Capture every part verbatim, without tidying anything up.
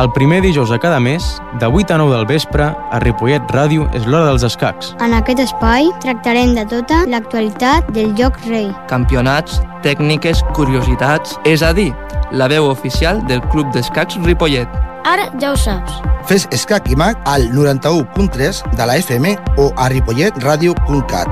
El primer dijous de cada mes, de vuit a nou del vespre, a Ripollet Ràdio és l'hora dels escacs. En aquest espai tractarem de tota l'actualitat del joc rei. Campionats, tècniques, curiositats, és a dir, la veu oficial del Club d'Escacs Ripollet. Ara ja ho saps. Fes escac i mag al noranta-u punt tres de la F M o a ripollet ràdio punt cat.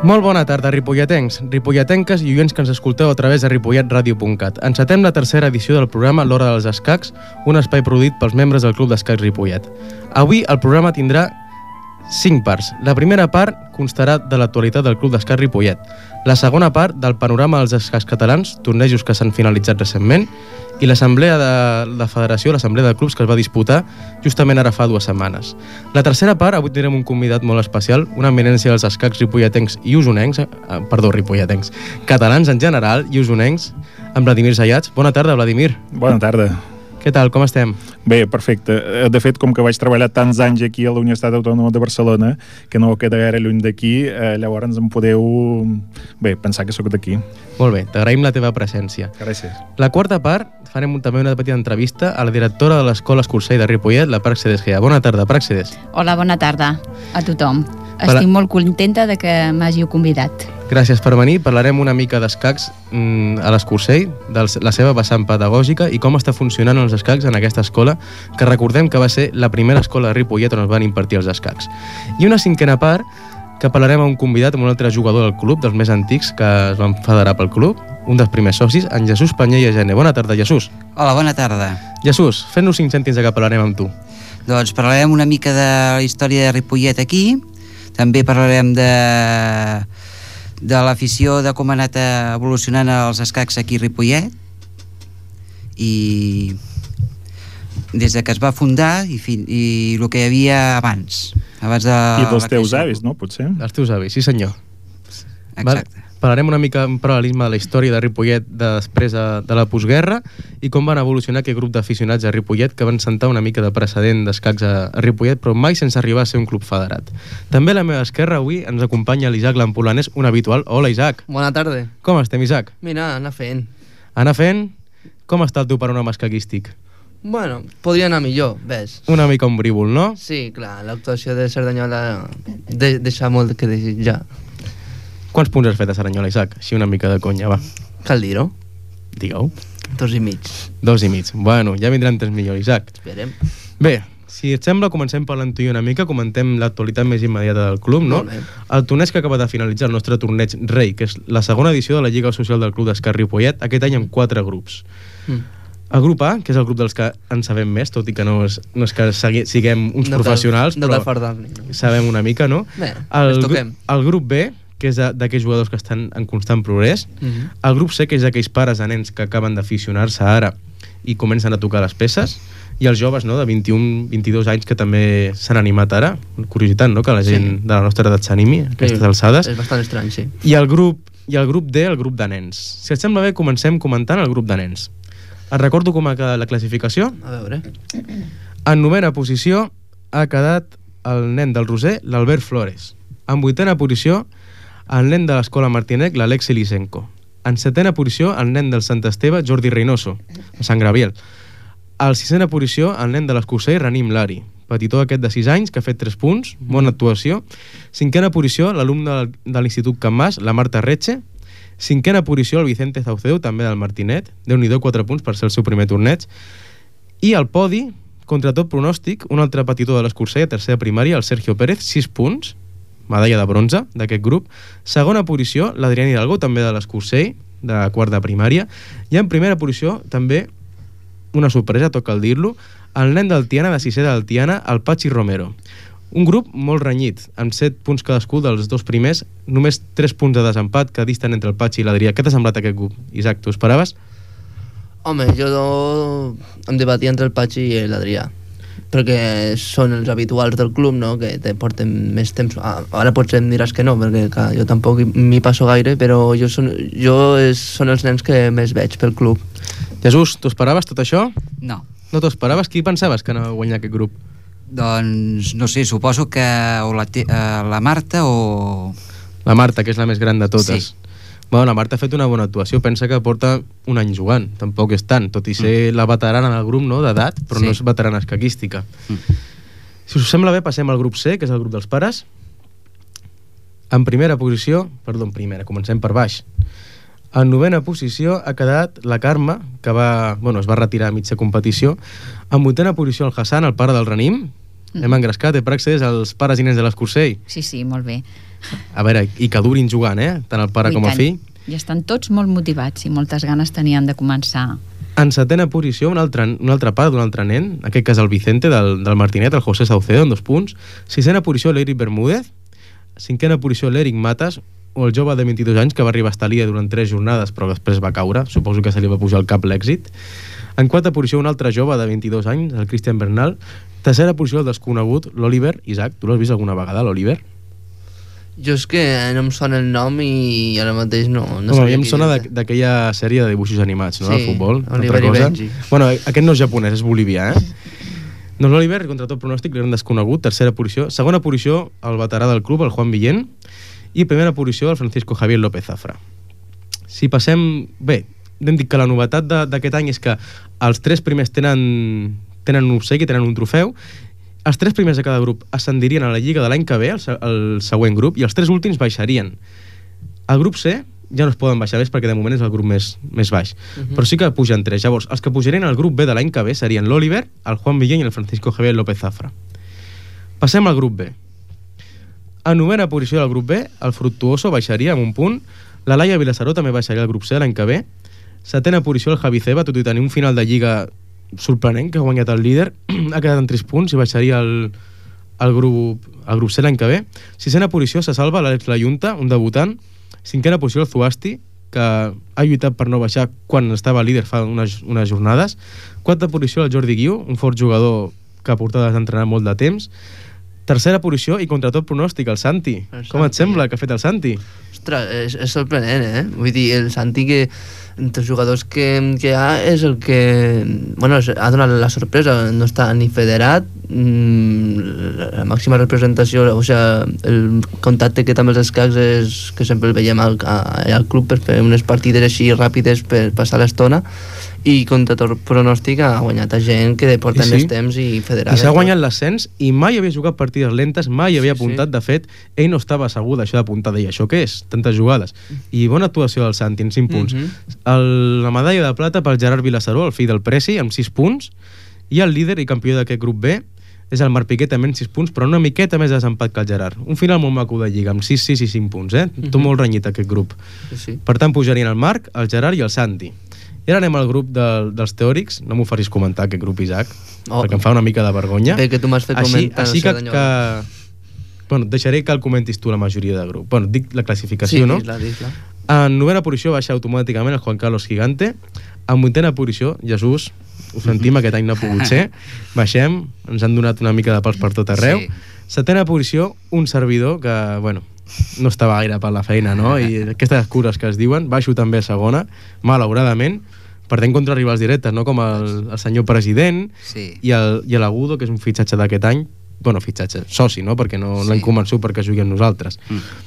Molt bona tarda, ripolletencs, ripolletenques i oients que ens escolteu a través de ripollet ràdio punt cat. Encetem la tercera edició del programa L'Hora dels Escacs, un espai produït pels membres del Club d'Escacs Ripollet. Avui el programa tindrà cinc parts. La primera part constarà de l'actualitat del Club d'Escacs Ripollet. La segona part del panorama dels escacs catalans, tornejos que s'han finalitzat recentment, i l'assemblea de la federació, l'assemblea de clubs que es va disputar justament ara fa dues setmanes. La tercera part, avui tindrem un convidat molt especial, una eminència dels escacs ripolletencs i usonencs, eh, perdó, ripolletencs, catalans en general i usonencs, amb Vladimir Zayats. Bona tarda, Vladimir. Bona tarda. Què tal, com estem? Bé, perfecte. De fet, com que vaig treballar tants anys aquí a la Universitat Autònoma de Barcelona, que no queda gaire lluny d'aquí, eh, llavors em podeu, bé, pensar que sóc d'aquí. Molt bé, t'agraïm la teva presència. Gràcies. La quarta part, farem també una petita entrevista a la directora de l'Escola Escursell de Ripollet, la Praxedes Gea. Bona tarda, Praxedes. Hola, bona tarda a tothom. Per... Estic molt contenta de que m'hàgiu convidat. Gràcies per venir. Parlarem una mica d'escacs mm, a l'Escursell, de la seva vessant pedagògica i com està funcionant els escacs en aquesta escola, que recordem que va ser la primera escola de Ripollet on es van impartir els escacs. I una cinquena part, que parlarem amb un convidat, amb un altre jugador del club, dels més antics que es van federar pel club, un dels primers socis, en Jesús Panyer i Agene. Bona tarda, Jesús. Hola, bona tarda. Jesús, fes-nos cinc cèntims de què parlarem amb tu. Doncs parlarem una mica de la història de Ripollet aquí, també parlarem de, de l'afició, de com ha anat evolucionant els escacs aquí a Ripollet, i des de que es va fundar i, fi, i el que hi havia abans. abans de I dels teus avis, no? Potser? Els teus avis, sí senyor. Exacte. Val? Parlarem una mica en paral·lelisme de la història de Ripollet de després de, de la postguerra i com van evolucionar aquest grup d'aficionats a Ripollet que van sentar una mica de precedent d'escacs a, a Ripollet, però mai sense arribar a ser un club federat. També a la meva esquerra avui ens acompanya l'Isaac Lampolanès, un habitual. Hola, Isaac. Bona tarda. Com estem, Isaac? Mira, anar fent. Anar fent? Com està el teu panorama escaquístic? Bueno, podria anar millor, ves. Una mica ombrívol, no? Sí, clar, l'actuació de Cerdanyola de, deixa molt que desitjar. Quants punts has fet a Cerdanyola, Isaac? Així una mica de conya, va. Cal dir-ho? Digue-ho. Dos i mig. Dos i mig. Bueno, ja vindran tres millors, Isaac. Esperem. Bé, si et sembla, comencem parlant tu i una mica, comentem l'actualitat més immediata del club, no? Molt bé. El torneig que acaba de finalitzar el nostre torneig Rei, que és la segona edició de la Lliga Social del Club d'Escacs Ripollet, aquest any amb quatre grups. Mm. El grup A, que és el grup dels que en sabem més, tot i que no és, no és que segui, siguem uns no professionals, cal, no però fardar-ne, no? sabem una mica, no? Bé, el, ens toquem. El grup B, que és d'aquells jugadors que estan en constant progrés. Uh-huh. El grup C, que és d'aquells pares de nens que acaben d'aficionar-se ara i comencen a tocar les peces. I els joves, no?, de vint-i-un vint-i-dos anys que també s'han animat ara. Curiositat, no?, que la gent sí. de la nostra edat s'animi a aquestes sí, alçades. És bastant estrany, sí. I el grup, i el grup D, el grup de nens. Si et sembla bé, comencem comentant el grup de nens. Et recordo com ha quedat la classificació. A veure. En novena posició ha quedat el nen del Roser, l'Albert Flores. En vuitena posició, el nen de l'Escola Martinec, l'Alexi Lisenko. En setena posició, el nen del Sant Esteve, Jordi Reynoso, a Sant Graviel. En sisena posició, el nen de l'Escursell, Ranim Lari. Petitó aquest de sis anys, que ha fet tres punts, bona actuació. Cinquena posició, l'alumne de l'Institut Can Mas, la Marta Retxe. Cinquena posició el Vicente Zauceu, també del Martinet. Déu-n'hi-do, quatre punts per ser el seu primer torneig. I al podi, contra tot pronòstic, un altre petitó de l'Escursell, a tercera primària, el Sergio Pérez, sis punts, medalla de bronze d'aquest grup. Segona posició, l'Adrián Hidalgo, també de l'Escursell, de quart de primària. I en primera posició, també, una sorpresa, toca el dir-lo, el nen del Tiana, de sisè del Tiana, el Pachi Romero. Un grup molt renyit, amb set punts cadascú dels dos primers, només tres punts de desempat que disten entre el Pachi i l'Adrià. Què t'ha semblat aquest grup, Isaac? T'ho esperaves? Home, jo em debatia entre el Pachi i l'Adrià, perquè són els habituals del club, no?, que te porten més temps. Ara potser em diràs que no, perquè clar, jo tampoc m'hi passo gaire, però jo, són, jo és, són els nens que més veig pel club. Jesús, t'ho esperaves tot això? No. No t'ho esperaves? Qui pensaves que anava a guanyar aquest grup? Doncs, no sé, suposo que o la, te, uh, la Marta o... La Marta, que és la més gran de totes. Sí. Bueno, la Marta ha fet una bona actuació, pensa que porta un any jugant, tampoc és tant, tot i ser mm. la veterana del grup, no?, d'edat, però sí. No és veterana escaquística. Mm. Si us sembla bé, passem al grup C, que és el grup dels pares. En primera posició, perdó, en primera, comencem per baix. En novena posició ha quedat la Carme, que va, bueno, es va retirar a mitja competició. En vuitena posició el Hassan, el pare del Ranim. Mm. Hem engrescat, eh, per accés als pares i nens de l'Escursell. Sí, sí, molt bé. A veure, i que durin jugant, eh? Tant el pare I com el tant. fill. I estan tots molt motivats i moltes ganes tenien de començar. En setena posició, un altre, un altre pare d'un altre nen, aquest que és el Vicente del, del Martinet, el José Saucedo, en dos punts. Sisena posició, l'Eric Bermúdez. Cinquena posició, l'Eric Matas, o el jove de vint-i-dos anys que va arribar a estar líder durant tres jornades però després va caure, suposo que se li va pujar al cap l'èxit. En quarta posició un altre jove de vint-i-dos anys, el Cristian Bernal. Tercera posició el desconegut, l'Oliver. Isaac, tu l'has vist alguna vegada, l'Oliver? Jo és que no em sona el nom i ara mateix no... no Home, a mi em sona d'aquella sèrie de dibuixos animats, no?, sí, de futbol. Oliver i Benji. Bueno, aquest no és japonès, és bolivià, eh? Doncs l'Oliver, contra tot pronòstic, l'eren desconegut. Tercera posició. Segona posició, el veterà del club, el Juan Villén. I primera posició, el Francisco Javier López Zafra. Si passem... Bé, hem dit que la novetat d'aquest any és que els tres primers tenen, tenen un obsequi, tenen un trofeu. Els tres primers de cada grup ascendirien a la Lliga de l'any que ve, el, el següent grup, i els tres últims baixarien. El grup C ja no es poden baixar més perquè de moment és el grup més, més baix. Uh-huh. Però sí que pugen tres. Llavors, els que pujarien al grup B de l'any que ve serien l'Oliver, el Juan Villén i el Francisco Javier López Zafra. Passem al grup B. A novena posició del grup B, el Fructuoso baixaria amb un punt. La Laia Vilassaró també baixaria al grup C l'any que ve. Setena posició el Javi Ceba, tot i tenir un final de Lliga sorprenent, que ha guanyat el líder, ha quedat en tres punts i baixaria el, el, grup, el grup C l'any que ve. Sisena posició se salva l'Àlex Layunta, un debutant. Cinquena posició el Zuasti, que ha lluitat per no baixar quan estava líder fa unes, unes jornades. Quarta posició el Jordi Guiu, un fort jugador que ha portat d'entrenar molt de temps. Tercera posició i contra tot pronòstic el Santi. El Com Santi. Et sembla que ha fet el Santi? Ostres, és, és sorprenent, eh? Vull dir, el Santi que entre els jugadors que, que hi ha és el que bueno, ha donat la sorpresa. No està ni federat, mmm, la màxima representació, o sigui, el contacte que té amb els escacs és que sempre el veiem al, al club per fer unes partides així ràpides per passar l'estona, i contra tot pronòstic ha guanyat a gent que porta sí, més temps i federada. I s'ha guanyat l'ascens i mai havia jugat partides lentes, mai havia sí, apuntat, sí. De fet, ell no estava segur d'això d'apuntar, deia, això què és? Tantes jugades. I bona actuació del Santi, en cinc punts. Mm-hmm. el, la medalla de plata pel Gerard Vilassaró, el fill del Presi, amb sis punts, i el líder i campió d'aquest grup B és el Marc Piqué, també amb sis punts, però una miqueta més desempat que el Gerard. Un final molt maco de Lliga, amb sis, sis i cinc punts, eh? Mm-hmm. Tot molt renyit aquest grup. Sí, sí. Per tant, pujarien el Marc, el Gerard i el Santi. I ara anem al grup de, dels teòrics. No m'ho facis comentar, aquest grup, Isaac, oh, perquè em fa una mica de vergonya. Bé, que tu m'has fet així, comentar. Així que, que... Bueno, deixaré que el comentis tu la majoria de grup. Bueno, dic la classificació, sí, no? Sí, dis-la. En novena posició baixa automàticament el Juan Carlos Gigante. En vuitena posició, Jesús, ho sentim, mm-hmm. aquest any no ha pogut ser. Baixem, ens han donat una mica de pals per tot arreu. Sí. Setena posició, un servidor que, bueno, no estava gaire per la feina, no? I aquestes cures que es diuen, baixo també a segona, malauradament, perdent contra rivals directes, no? Com el, el senyor president sí. i el- i l'Agudo, que és un fitxatge d'aquest any, bueno, fitxatge, soci, no? Perquè no Sí. l'hem convençut perquè jugui amb nosaltres. Mm.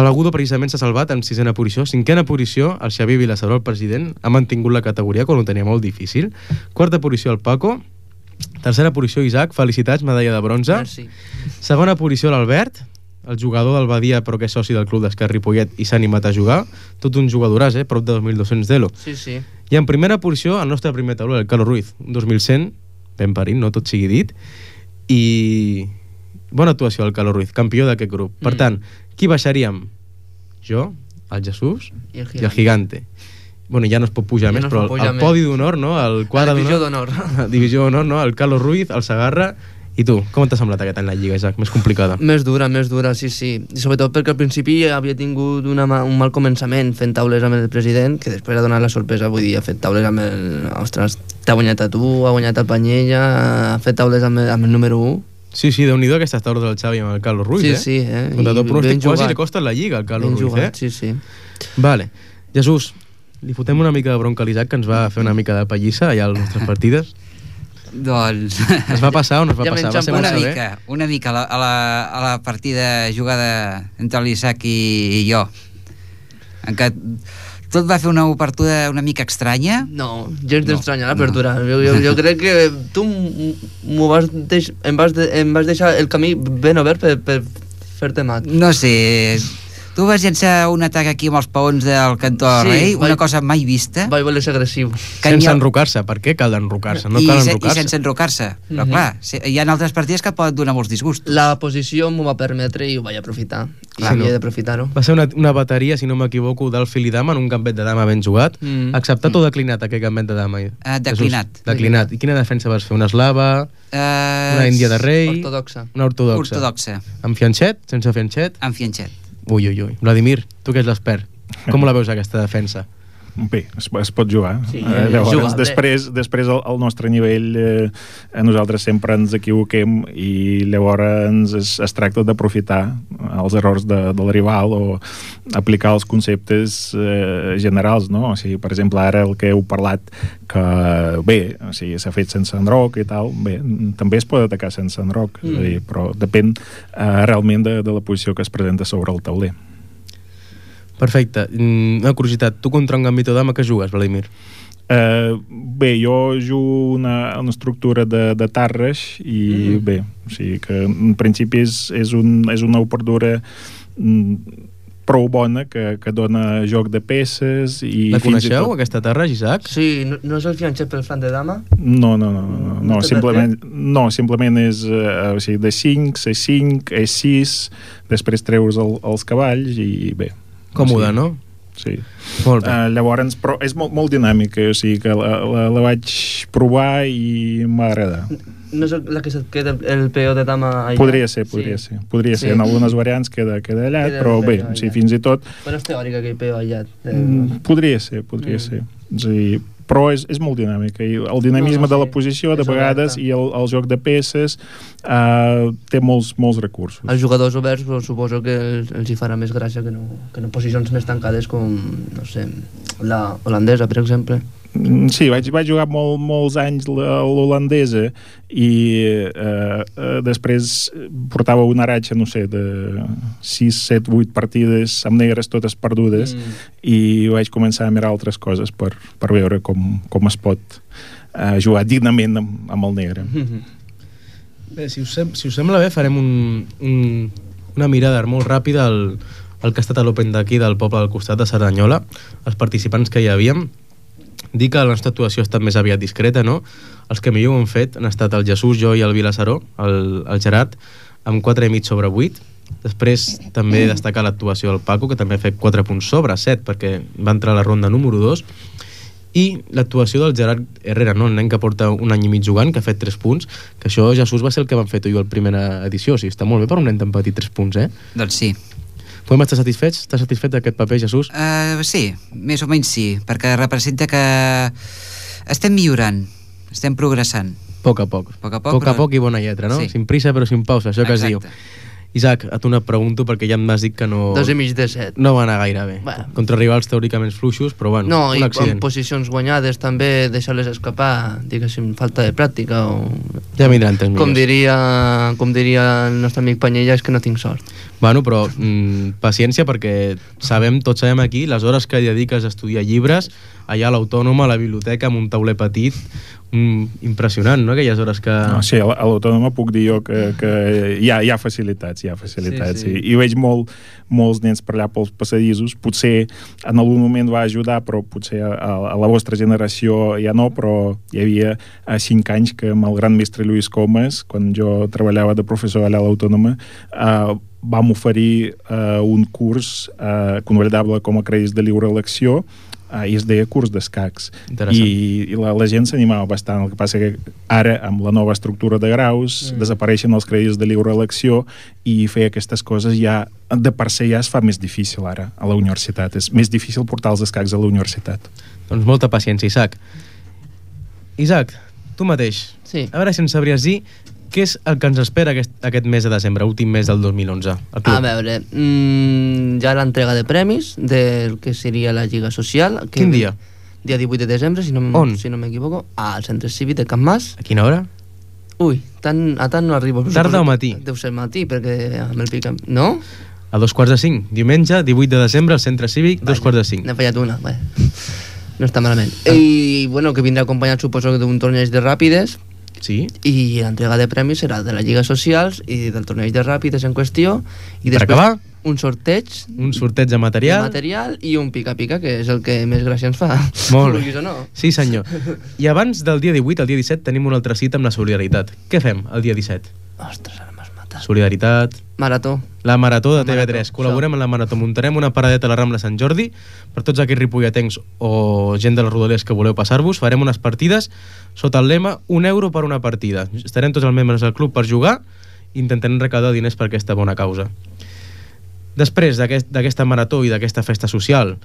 L'Agudo precisament s'ha salvat en sisena posició. Cinquena posició, el Xavier Vilassaró, el president, ha mantingut la categoria quan ho tenia molt difícil. Quarta posició, el Paco. Tercera posició, Isaac, felicitats, medalla de bronze. Merci. Segona posició, l'Albert, el jugador del Badia, però que és soci del club d'Esquerra Ripollet i s'ha animat a jugar. Tot un jugadoràs, eh? Prop de dos mil dos-cents d'elo. Sí, sí. I en primera posició, el nostre primer tauló, el Carlos Ruiz, dos mil cent, ben parit, no tot sigui dit. I bona actuació el Carlos Ruiz, campió d'aquest grup. Per Mm. tant, qui baixaríem? Jo, el Jesús I el i el Gigante. Bueno, ja no es pot pujar Ja més, no es però pot pujar el més. podi d'honor, no? El quadre La divisió d'honor. d'honor. Divisió d'honor, no? El Carlos Ruiz, el Segarra. I tu, com t'ha semblat aquest any la Lliga, Isaac? Més complicada. Més dura, més dura, sí, sí. I sobretot perquè al principi havia tingut una, ma- un mal començament fent taules amb el president, que després ha donat la sorpresa, vull dir, ha fet taules amb el... Ostres, t'ha guanyat a tu, ha guanyat a Panyella, ha fet taules amb el, amb el número u. Sí, sí, déu-n'hi-do aquestes taules del Xavi amb el Carlos Ruiz, Sí, eh? sí, eh? Contra tot I pronòstic, ben quasi jugat. li costa la Lliga al Carlos Ben Ruiz, jugat, eh? sí, sí. Vale. Jesús, li fotem una mica de bronca a l'Isaac, que ens va fer una mica de pallissa allà a les nostres partides. Doncs... Es va passar o no es va Ja passar? menys Va ser una molt mica, una mica a la, a la, a la partida jugada entre l'Isaac i, i jo, en què tot va fer una obertura una mica estranya. No, gens No, d'estranya l'apertura. Jo, jo, jo crec que tu m'ho vas deix, em, vas de, em vas deixar el camí ben obert per, per fer-te mat. No sé, tu vas llançar un atac aquí amb els paons del cantó Sí, Rei, una vaig- cosa mai vista. Vaig voler ser agressiu. que Sense n'hi ha- enrocar-se. Per què cal enrocar-se? No I, cal se- I enrocar-se. sense enrocar-se. Però Mhm. clar, se- hi ha altres partides que poden donar molts disgustos. La posició m'ho va permetre i ho vaig aprofitar. I Clar, havia no. d'aprofitar-ho. Va ser una, una bateria, si no m'equivoco, del fil i dama en un gambet de dama ben jugat. Mm. Acceptat o declinat aquest gambet de dama? Ah, declinat. Jesús, declinat. I quina defensa vas fer? Una eslava? Uh, Una índia de rei? Ortodoxa. Una ortodoxa? Ortodoxa, Amb fianxet? Sense fianxet? amb fianxet. Ui, ui, ui. Vladimir, tu que ets l'expert, com la veus aquesta defensa? Bé, es, es pot jugar. Sí, eh, llavors, juga bé. després, després al, al nostre nivell eh, nosaltres sempre ens equivoquem i llavors es, es tracta d'aprofitar els errors de, del rival o aplicar els conceptes eh, generals, no? O sigui, per exemple, ara el que heu parlat que bé, o sigui, s'ha fet sense enroc i tal, bé, també es pot atacar sense enroc, mm. és a dir, però depèn eh, realment de, de la posició que es presenta sobre el tauler. Perfecte. Mm, Una curiositat, tu contra un gambito dama que jugues, Vladimir? Uh, bé, jo jugo una, una estructura de, de tarres i mm. bé, o sigui que en principi és, és, un, és una obertura mm, prou bona que, que dona joc de peces i La fins i coneixeu, tot... aquesta terra, Isaac? Sí, no, no és el fianxet pel flanc de dama? No, no, no, no, no, No té simplement, no, simplement és uh, o sigui, de cinc, C cinc, E sis, després treus el, els cavalls i bé. Còmode, o sigui, no? Sí. Molt bé. Uh, llavors, però és molt, molt dinàmica, o sigui que la, la, la vaig provar i m'ha agradat. No és el- la que se't queda el peó de dama allà? Podria ser, podria sí. ser. Podria Sí. ser, en algunes variants queda, queda allà, Queda però el bé, peó o sigui, allà. fins i tot Bueno, és teòric aquell peó allà. Eh, mm, podria ser, podria Mm. ser. És a dir, però és, és molt dinàmica i el dinamisme No, no, de la sí. posició de És vegades oberta. i el, el joc de peces uh, té molts, molts recursos. Els jugadors oberts però suposo que els, els hi farà més gràcia que no, que no posicions més tancades com, no sé, la holandesa, per exemple. Mm, Sí, vaig, vaig jugar molt, molts anys la- l'holandesa i eh, eh, després portava una ratxa, no sé, de sis, set, vuit partides amb negres totes perdudes Mm. i vaig començar a mirar altres coses per, per veure com, com es pot eh, jugar dignament amb, amb el negre. Bé, si us, sem si us sembla bé, farem un, un, una mirada molt ràpida al, al que ha estat a l'Open d'aquí del poble del costat de Cerdanyola, els participants que hi havíem. Dir que la nostra actuació ha estat més aviat discreta, no? Els que millor ho han fet han estat el Jesús, jo i el Vilassaró, el, el Gerard, amb quatre i mig sobre vuit. Després també destacar l'actuació del Paco, que també ha fet quatre punts sobre set, perquè va entrar a la ronda número dos. I l'actuació del Gerard Herrera, no? El nen que porta un any i mig jugant, que ha fet tres punts, que això, Jesús, va ser el que vam fer tu i jo a la primera edició. O sigui, està molt bé per un nen tan petit, tres punts, eh? Doncs sí. Podem estar satisfets? Estàs satisfet d'aquest paper, Jesús? Uh, sí, més o menys sí, perquè representa que estem millorant, estem progressant. A poc a poc. Poc a poc, poc, a però- poc i bona lletra, no? Sí. Sin prisa però sin pausa, això que es diu. Exacte. Isaac, a tu no et pregunto perquè ja m'has dit que no... Dos i mig de set. No va anar gaire bé. Bueno. Contra rivals teòricament fluixos, però bueno, No, un i accident. en posicions guanyades també deixar-les escapar, diguéssim, falta de pràctica o... Ja vindran temps Com millors. diria, com diria el nostre amic Panyella, és que no tinc sort. Bueno, però mm, paciència, perquè sabem, tots sabem aquí, les hores que dediques a estudiar llibres, allà a l'Autònoma, a la biblioteca, amb un tauler petit, mm, impressionant, no?, aquelles hores que... No, sí, a l'Autònoma puc dir jo que, que hi, ha, hi ha facilitats, hi ha facilitats, sí, sí. I, i veig molt, molts nens per allà pels passadissos, potser en algun moment va ajudar, però potser a, a la vostra generació ja no, però hi havia a cinc anys que amb el gran mestre Lluís Comas, quan jo treballava de professor allà a l'Autònoma, eh, vam oferir uh, un curs uh, convalidable com a crèdits de lliure elecció uh, i es deia curs d'escacs i, i la, la gent s'animava bastant. El que passa que ara amb la nova estructura de graus mm. desapareixen els crèdits de lliure elecció i fer aquestes coses ja de per se ja es fa més difícil ara a la universitat, és més difícil portar els escacs a la universitat. Doncs molta paciència, Isaac. Isaac, tu mateix, sí. A veure si ens sabries dir què és el que ens espera aquest, aquest mes de desembre, últim mes del dos mil onze? A veure, mmm, hi ha l'entrega de premis del que seria la Lliga Social. Que Quin dia? Dia divuit de desembre, si no, On? si no m'equivoco, al Centre Cívic de Can Mas. A quina hora? Ui, tant, a tant no arribo. Tarda o matí? Deu ser matí, perquè amb el pica... No? A dos quarts de cinc. Diumenge, divuit de desembre, al Centre Cívic, dos quarts de cinc. N'he fallat una, bé. No està malament. I, bueno, que vindrà acompanyat, suposo, d'un torneig de ràpides. Sí. I l'entrega de premis serà de la Lliga Socials i del torneig de ràpides en qüestió. I per després acabar? Un sorteig. Un sorteig de material. De material i un pica-pica, que és el que més gràcia ens fa. Molt bé. No? Sí, senyor. I abans del dia divuit, el dia disset, tenim una altra cita amb la solidaritat. Què fem el dia disset? Ostres, ara m'has matat. Solidaritat. Marató. La Marató de La T V tres. Marató, Col·laborem això. en la Marató. Muntarem una paradeta a la Rambla Sant Jordi per tots aquells ripolletens o gent de les Rodalies que voleu passar-vos. Farem unes partides sota el lema un euro per una partida. Estarem tots els membres del club per jugar i intentarem recaudar diners per aquesta bona causa. Després d'aquesta aquest, marató i d'aquesta festa social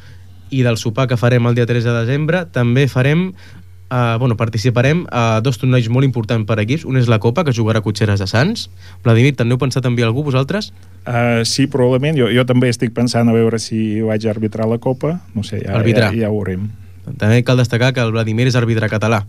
i del sopar que farem el dia tres de desembre, també farem, eh, bueno, participarem a dos torneigs molt importants per equips. Un és la Copa, que jugarà a Cotxeres de Sants. Vladimir, també heu pensat en enviar algú, vosaltres? Uh, sí, probablement. Jo, jo també estic pensant a veure si vaig a arbitrar la Copa. No sé, ja, ja, ja ho veurem. També cal destacar que el Vladimir és àrbitre català.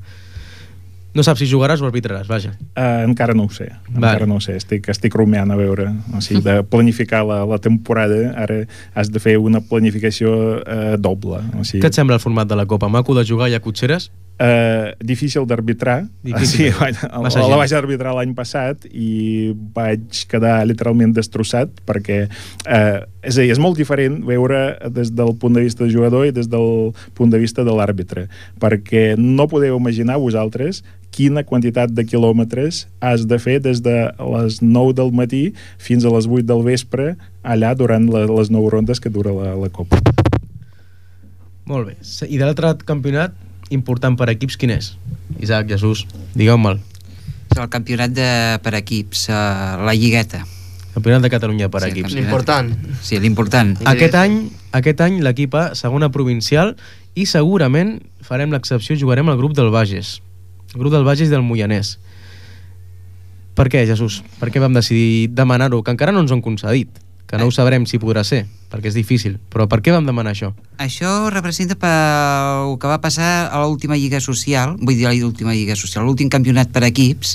No saps si jugaràs o arbitraràs, vaja. Uh, encara no ho sé, encara vale. no ho sé. Estic, estic rumiant a veure, o sigui, de planificar la, la temporada, ara has de fer una planificació uh, doble. O sigui, què et sembla el format de la Copa? Maco de jugar allà a Cotxeres? Uh, difícil d'arbitrar. Difícil. Sí, la, la vaig arbitrar l'any passat i vaig quedar literalment destrossat perquè uh, és a dir, és molt diferent veure des del punt de vista del jugador i des del punt de vista de l'àrbitre, perquè no podeu imaginar vosaltres quina quantitat de quilòmetres has de fer des de les nou del matí fins a les vuit del vespre allà durant la, les nou rondes que dura la, la Copa. Molt bé. I de l'altre campionat important per equips, quin és? Isaac, Jesús, digueu-me'l. El campionat de, per equips, uh, la Lligueta. Campionat de Catalunya per Sí, equips. L'important. Sí, l'important. Aquest any, aquest any l'equip A, segona provincial, i segurament farem l'excepció i jugarem al grup del Bages. El grup del Bages i del Moianès. Per què, Jesús? Per què vam decidir demanar-ho? Que encara no ens ho han concedit. Que no ho sabrem si podrà ser, perquè és difícil. Però per què vam demanar això? Això representa pel que va passar a l'última Lliga Social, vull dir l'última Lliga Social, l'últim campionat per equips,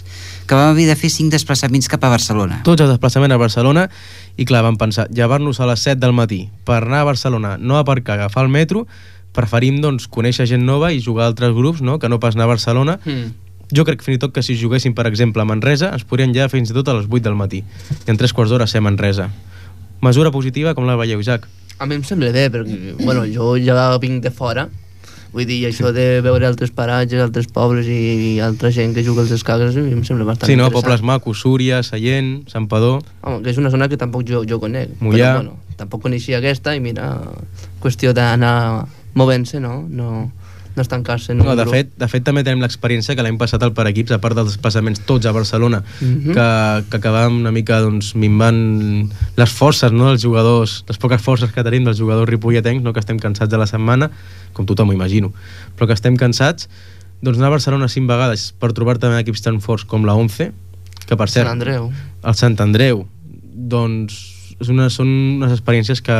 que vam haver de fer cinc desplaçaments cap a Barcelona. Tots els desplaçaments a Barcelona, i clar, vam pensar, llevar-nos a les set del matí per anar a Barcelona, no aparcar, agafar el metro, preferim, doncs, conèixer gent nova i jugar a altres grups, no?, que no pas anar a Barcelona. Mm. Jo crec fins i tot que si juguéssim, per exemple, a Manresa, ens podrien llevar fins i tot a les vuit del matí. I en tres quarts d'hora ser a Manresa. Mesura positiva, com la veieu, Isaac? A mi em sembla bé, perquè bueno, jo ja vinc de fora, vull dir, això de veure altres paratges, altres pobles i, i altra gent que juga als escacs, a mi em sembla bastant sí, no? interessant. Pobles macos, Súria, Sallent, Santpedor... Home, que és una zona que tampoc jo, jo conec. Mollà. Però, bueno, tampoc coneixia aquesta i mira, qüestió d'anar movent-se, no? No, no estancar-se en un No, de grup. fet, de fet, també tenim l'experiència que l'any passat al per equips, a part dels desplaçaments tots a Barcelona, Mhm. que, que acabàvem una mica doncs, minvant les forces, no?, dels jugadors, les poques forces que tenim dels jugadors ripolletens, no?, que estem cansats de la setmana, com tothom ho imagino, però que estem cansats, doncs anar a Barcelona cinc vegades per trobar també equips tan forts com la Once, que per cert... Sant Andreu. El Sant Andreu, doncs és una, són unes experiències que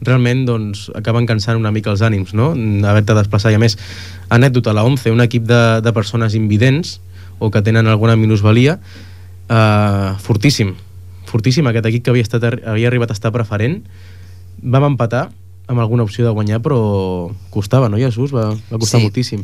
realment doncs, acaben cansant una mica els ànims, no?, haver-te de desplaçar. I a més, anècdota, la Once, un equip de, de persones invidents o que tenen alguna minusvalia, eh, fortíssim fortíssim, aquest equip que havia, estat, havia arribat a estar preferent, vam empatar amb alguna opció de guanyar, però costava, no, Jesús? Va, va costar Sí. moltíssim.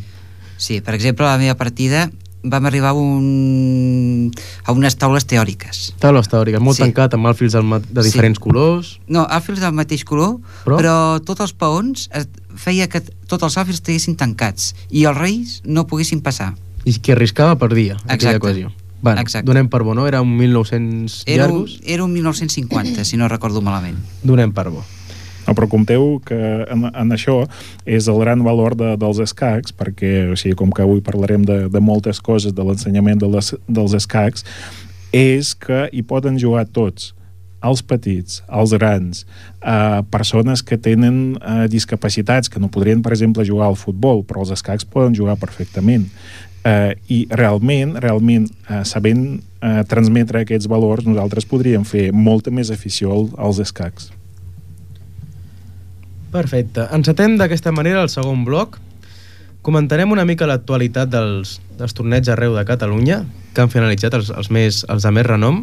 Sí, per exemple, a la meva partida vam arribar a, un... a unes taules teòriques. Taules teòriques, molt Sí. tancat, amb alfils del ma- de Sí. diferents colors. No, alfils del mateix color, Però? però, però tots els peons es- feia que tots els alfils estiguessin tancats i els reis no poguessin passar. I qui arriscava perdia, aquella Exacte. ocasió. Bueno, Exacte. donem per bo, no? Era un mil nou-cents Era un, llargos. era un mil nou-cents cinquanta, si no recordo malament. Donem per bo. No, però compteu que en, en això és el gran valor de, dels escacs, perquè, o sigui, com que avui parlarem de, de moltes coses, de l'ensenyament de les, dels escacs, és que hi poden jugar tots, els petits, els grans, eh, persones que tenen eh, discapacitats, que no podrien, per exemple, jugar al futbol, però els escacs poden jugar perfectament. Eh, I realment, realment, eh, sabent eh, transmetre aquests valors, nosaltres podríem fer molta més afició al, als escacs. Perfecte. Encetem d'aquesta manera el segon bloc. Comentarem una mica l'actualitat dels, dels torneigs arreu de Catalunya, que han finalitzat els, els, més, els de més renom,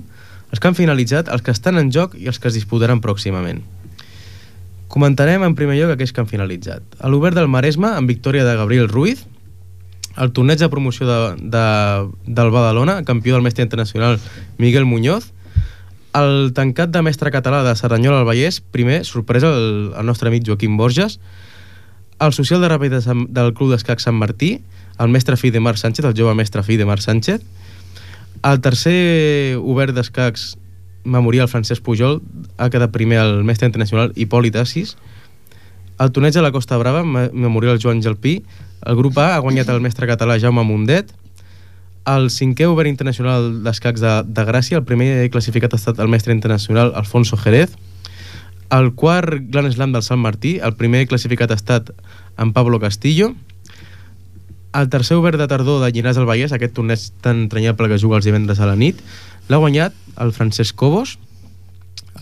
els que han finalitzat, els que estan en joc i els que es disputaran pròximament. Comentarem en primer lloc aquells que han finalitzat. A l'Obert del Maresme, amb victòria de Gabriel Ruiz, el torneig de promoció de, de, del Badalona, campió del mestre internacional Miguel Muñoz, el tancat de mestre català de Cerdanyola al Vallès, primer, sorpresa, el, el nostre amic Joaquim Borges, el social de ràpid de Sant, del Club d'Escacs Sant Martí, el mestre fill de Marc Sánchez, el jove mestre fill de Marc Sánchez, el tercer obert d'escacs memorial Francesc Pujol, ha quedat primer el mestre internacional Hipòlit Assis, el torneig de la Costa Brava, memorial Joan Gelpí, el grup A ha guanyat el mestre català Jaume Mundet, el cinquè obert internacional d'escacs de, de Gràcia, el primer classificat ha estat el mestre internacional Alfonso Jerez, el quart Grand Slam del Sant Martí, el primer classificat ha estat en Pablo Castillo, el tercer obert de tardor de Llinars del Vallès, aquest torneig tan entranyable que juga els divendres a la nit, l'ha guanyat el Francesc Cobos,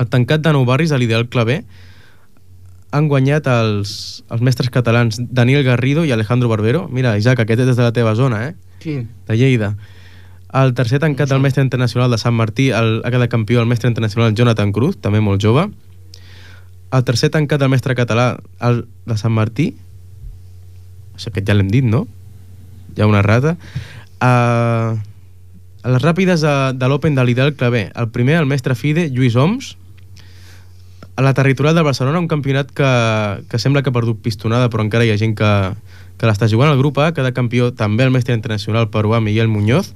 el tancat de Nou Barris de l'Ideal Clavé, han guanyat els, els mestres catalans Daniel Garrido i Alejandro Barbero. Mira, Isaac, aquest és des de la teva zona, eh? Sí. De Lleida. El tercer tancat del mestre internacional de Sant Martí, el, ha quedat campió el mestre internacional Jonathan Cruz, també molt jove. El tercer tancat del mestre català, el de Sant Martí, això aquest ja l'hem dit, no? Hi ha una rata. Uh, a les ràpides de, de l'Open de l'Ideal Clavé, el primer, el mestre FIDE, Lluís Oms. A la territorial de Barcelona, un campionat que, que sembla que ha perdut pistonada, però encara hi ha gent que, que l'està jugant. El grup A queda campió també el mestre internacional peruà Miguel Muñoz,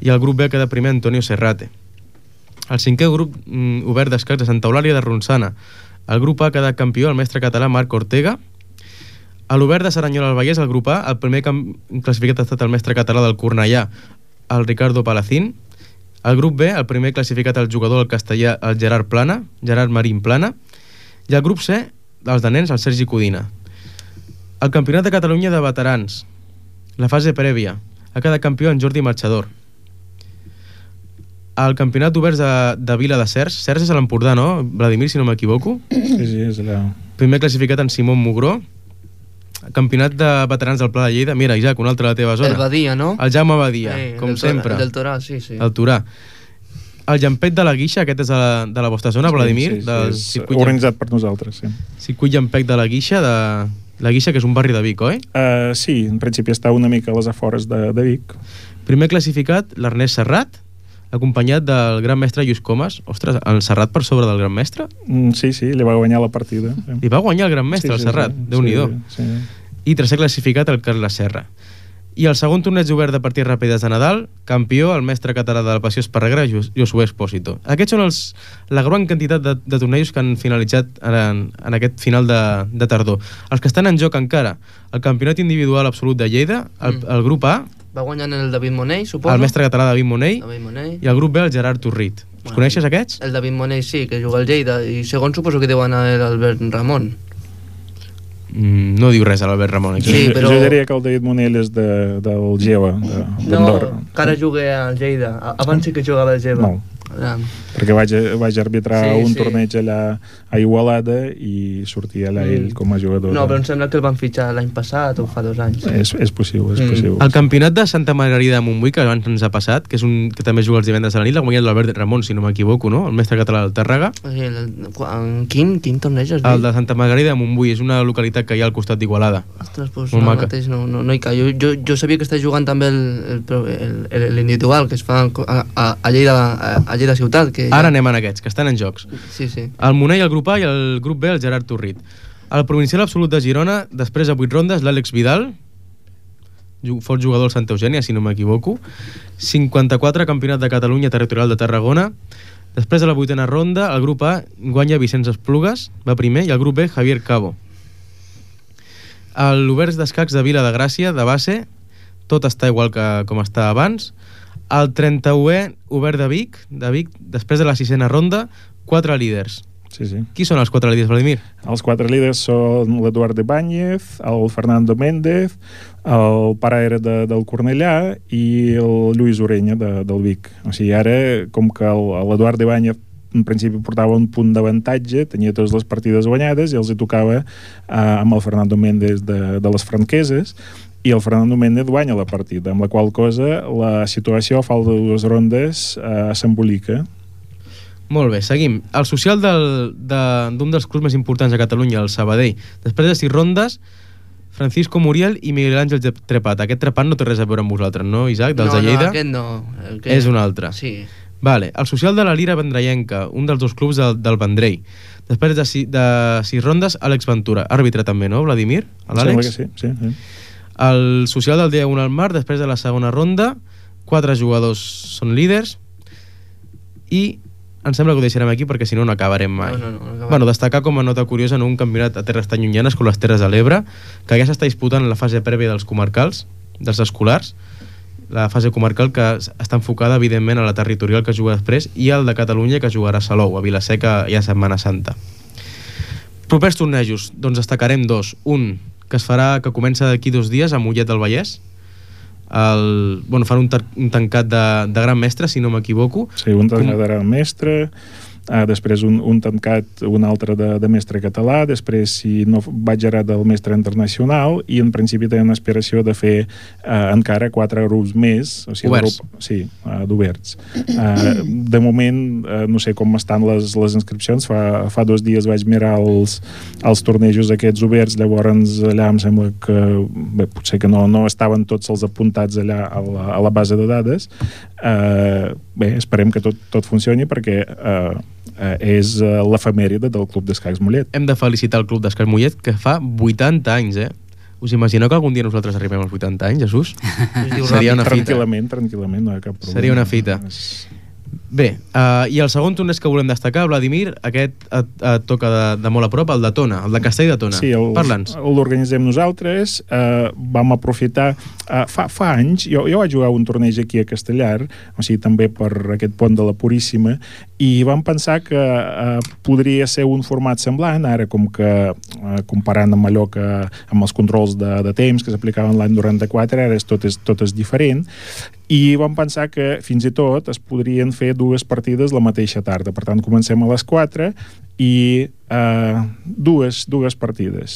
i el grup B queda primer Antonio Serrate. El cinquè grup mm, obert d'escacs de Santa Eulàlia de Ronçana. El grup A queda campió el mestre català Marc Ortega. A l'obert de Cerdanyola al Vallès, el grup A, el primer classificat ha estat el mestre català del Cornellà, el Ricardo Palacín. El grup B, el primer classificat el jugador del castellà, el Gerard Plana, Gerard Marín Plana. I el grup C, els de nens, el Sergi Codina. El Campionat de Catalunya de Veterans, la fase prèvia, ha quedat campió en Jordi Marchador. El Campionat d'Oberts de, de Vila de Cercs, Cercs és a l'Empordà, no? Vladimir, si no m'equivoco. Sí, sí, és allà. Primer classificat en Simón Mugró. Campionat de Veterans del Pla de Lleida. Mira, Isaac, una altra de la teva zona. El Badia, no? El Jaume Badia, Sí, com del Torà, sempre. del Torà, sí, sí. El Torà. El Llampec de la Guixa, aquest és de la, de la vostra zona, Vladimir? Sí, sí, del sí, és circuit organitzat per nosaltres, sí. Circuit Llampec de la Guixa, de la Guixa, que és un barri de Vic, oi? Uh, sí, en principi està una mica a les afores de, de Vic. Primer classificat, l'Ernest Serrat, acompanyat del gran mestre Lluís Comas. Ostres, el Serrat per sobre del gran mestre? Mm, sí, sí, li va guanyar la partida. Sí. I va guanyar el gran mestre, Sí, el sí, Serrat. sí, Déu-n'hi-do. Sí, sí. I tercer classificat, el Carles Serra. I el segon torneig obert de partides ràpides de Nadal, campió el mestre català de la Passió Esparreguera, Josué Espósito. Aquests són els, la gran quantitat de, de tornejos que han finalitzat en, en aquest final de, de tardor. Els que estan en joc encara, el campionat individual absolut de Lleida, el, Mm. el grup A, Va guanyant el David Monell, suposo. el mestre català David Monell, David Monell. i el grup B, el Gerard Torrit. Els Bueno, coneixes, aquests? El David Monell sí, que juga al Lleida, i segon suposo que deu anar l'Albert Ramon. Mm, no diu res a l'Albert Ramon. Aquí. Sí, Jo- però- Jo diria que el David Monell és de, del Geva, de- No, d'Andorra. que ara juga al Lleida. A- Abans sí que jugava al Geva. No. Era... perquè vaig, vaig arbitrar Sí, un sí. torneig allà a Igualada i sortia allà ell com a jugador. No, de- però em sembla que el van fitxar l'any passat o fa dos anys. És, és possible, és Mm. possible. El campionat de Santa Margarida de Montbui, que abans ens ha passat, que és un que també juga els divendres a la nit, l'ha guanyat l'Albert Ramon, si no m'equivoco, no? El mestre català del Tàrrega. Sí, el, el, quin, quin torneig has dit? El de Santa Margarida de Montbui és una localitat que hi ha al costat d'Igualada. Ostres, doncs Molt no, maca. mateix no, no, no hi cau. Jo, jo, jo sabia que està jugant també el, el, el, el, l'individual que es fa a, a, a, Lleida, a, a Lleida Ciutat. Que Ara ja... anem en aquests, que estan en jocs. Sí, sí. El Monell, el grup A, i el grup B, el Gerard Torrit. El provincial absolut de Girona, després de vuit rondes, l'Àlex Vidal, ju- fort jugador del Santa Eugènia, si no m'equivoco, cinquanta-quatre campionat de Catalunya territorial de Tarragona. Després de la vuitena ronda, el grup A guanya Vicenç Esplugues, va primer, i el grup B, Javier Cabo. L'Oberts d'Escacs de Vila de Gràcia, de base, tot està igual que com està abans. El trenta-unè Obert de Vic, de Vic, després de la sisena ronda, quatre líders. Sí, sí. Qui són els quatre líders, Vladimir? Els quatre líders són l'Eduard Ibáñez, el Fernando Méndez, el pare era de, del Cornellà i el Lluís Orenya de, del Vic. O sigui, ara, com que el- l'Eduard Ibáñez en principi portava un punt d'avantatge, tenia totes les partides guanyades i els hi tocava eh, amb el Fernando Méndez de, de les Franqueses, i el Fernando Méndez guanya la partida, amb la qual cosa la situació a falta de dues rondes eh, s'embolica. Molt bé, seguim. El social del, de, d'un dels clubs més importants de Catalunya, el Sabadell. Després de sis rondes, Francisco Muriel i Miguel Àngel Trepat. Aquest Trepat no té res a veure amb vosaltres, no, Isaac? Dels no, de Lleida? No, aquest no. Aquest... És un altre. Sí. Vale. El social de la Lira Vendrellenca, un dels dos clubs del, del Vendrell. Després de, si, de sis rondes, Àlex Ventura. Àrbitre també, no, Vladimir? Em sembla L'Àlex? que sí, sí, sí. El social del dia un al mar, després de la segona ronda, quatre jugadors són líders i em sembla que ho deixarem aquí perquè si no no acabarem mai. No, no, no, no acabarem. Bueno, destacar com a nota curiosa en un campionat a terres tan llunyanes com les Terres de l'Ebre, que ja s'està disputant la fase prèvia dels comarcals, dels escolars, la fase comarcal que està enfocada evidentment a la territorial que juga després i al de Catalunya que jugarà a Salou, a Vilaseca i a Setmana Santa. Propers tornejos, doncs destacarem dos. Un, que es farà, que comença d'aquí dos dies a Mollet del Vallès. El, bueno, fan un, tar, un tancat de, de gran mestre, si no m'equivoco. Sí, un tancat de gran mestre, uh, després un, un tancat, un altre de, de mestre català, després, si no vaig ara, del mestre internacional, i en principi tenen aspiració de fer uh, encara quatre grups més. O sigui, Oberts. Grup, sí, uh, d'oberts. Uh, de moment, uh, no sé com estan les, les inscripcions, fa, fa dos dies vaig mirar els, els tornejos aquests oberts, llavors allà em sembla que bé, potser que no, no estaven tots els apuntats allà a la, a la base de dades. Uh, bé, esperem que tot, tot funcioni perquè uh, uh, és uh, l'efemèride del Club d'Escacs Mollet. Hem de felicitar el Club d'Escacs Mollet, que fa vuitanta anys, eh? Us imagineu que algun dia nosaltres arribem als vuitanta anys, Jesús? Seria una fita. Tranquil·lament, tranquil·lament, no hi ha cap problema. Seria una fita. Bé, uh, i el segon torneig que volem destacar, Vladimir, aquest et, et toca de, de molt a prop, el de Tona, el de Castell de Tona. Sí, el, Parla'ns. l'organitzem nosaltres, eh, vam aprofitar, eh, fa, fa anys, jo, jo vaig jugar un torneig aquí a Castellar, o sigui, també per aquest pont de la Puríssima, i vam pensar que eh, podria ser un format semblant, ara com que, eh, comparant amb allò que, amb els controls de, de temps que s'aplicaven l'any noranta-quatre, ara és, tot, és, tot és diferent, i vam pensar que fins i tot es podrien fer dues partides la mateixa tarda. Per tant, comencem a les quatre i eh, dues, dues partides.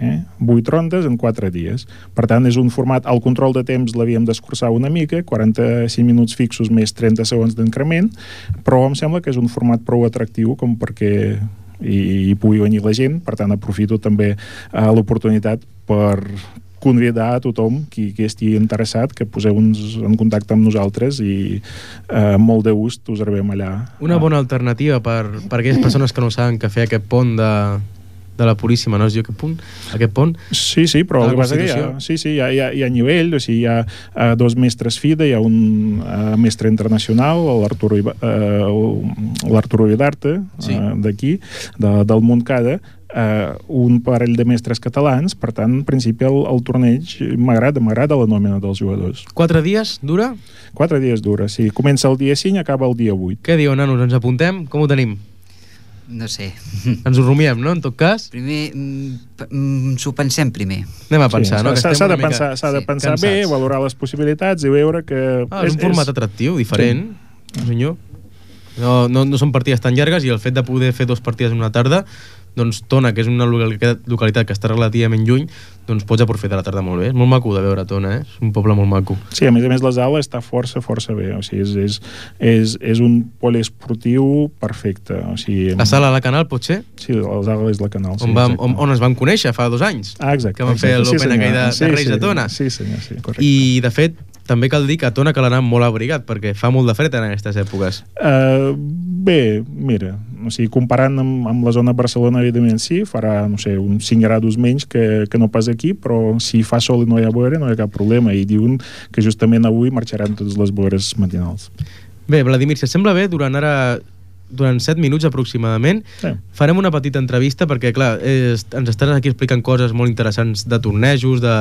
Eh? Vuit rondes en quatre dies. Per tant, és un format... El control de temps l'havíem d'escurçar una mica, quaranta-cinc minuts fixos més trenta segons d'increment, però em sembla que és un format prou atractiu com perquè hi, hi pugui venir la gent. Per tant, aprofito també eh, l'oportunitat per convidar a tothom qui, qui estigui interessat que poseu-nos en contacte amb nosaltres i eh, molt de gust us rebem allà. Una bona alternativa per, per aquelles persones que no saben que fer aquest pont de, de la Puríssima, no es diu aquest punt? Aquest pont? Sí, sí, però el que passa que hi ha, sí, sí, hi ha, hi ha, hi ha nivell, o sigui, hi ha uh, dos mestres FIDE, hi ha un uh, mestre internacional, l'Arturo uh, l'Arturo Vidarte, sí. uh, d'aquí, de, del Montcada, Uh, un parell de mestres catalans, per tant, en principi el, el torneig m'agrada, m'agrada la nòmina dels jugadors. Quatre dies dura? Quatre dies dura, sí. Comença el dia cinc i acaba el dia vuit. Què diu, nanos? Ens apuntem? Com ho tenim? No sé. Ens ho rumiem, no? En tot cas? Primer, mm, s'ho pensem primer. Anem a pensar, sí, no? S'ha, s'ha de pensar, s'ha de sí, pensar cansats. bé, valorar les possibilitats i veure que... Ah, és, és un format atractiu, diferent. Sí. Senyor. És No, no, no són partides tan llargues i el fet de poder fer dues partides en una tarda, doncs Tona, que és una localitat, localitat que està relativament lluny, doncs pots aprofitar la tarda molt bé. És molt maco de veure Tona, eh? És un poble molt maco. Sí, a més a més la sala està força, força bé. O sigui, és, és, és, és un poliesportiu perfecte. O sigui, la sala a la Canal, pot ser? Sí, la sala és la Canal. On, sí, vam, on, on ens vam conèixer fa dos anys. Ah, exacte. Que vam fer l'Open sí, aquell de, sí, de Reis sí, de Tona. Sí, senyor, sí, correcte. I, de fet, també cal dir que a Tona cal anar molt abrigat, perquè fa molt de fred en aquestes èpoques. Uh, bé, mira, o sigui, comparant amb, amb la zona de Barcelona, evidentment sí, farà, no sé, uns cinc graus menys que, que no pas aquí, però si fa sol i no hi ha boira, no hi ha cap problema, i diuen que justament avui marxaran totes les boires matinals. Bé, Vladimir, si et sembla bé, durant ara durant set minuts aproximadament, sí. Farem una petita entrevista perquè, clar, és, ens estàs aquí explicant coses molt interessants de tornejos, de,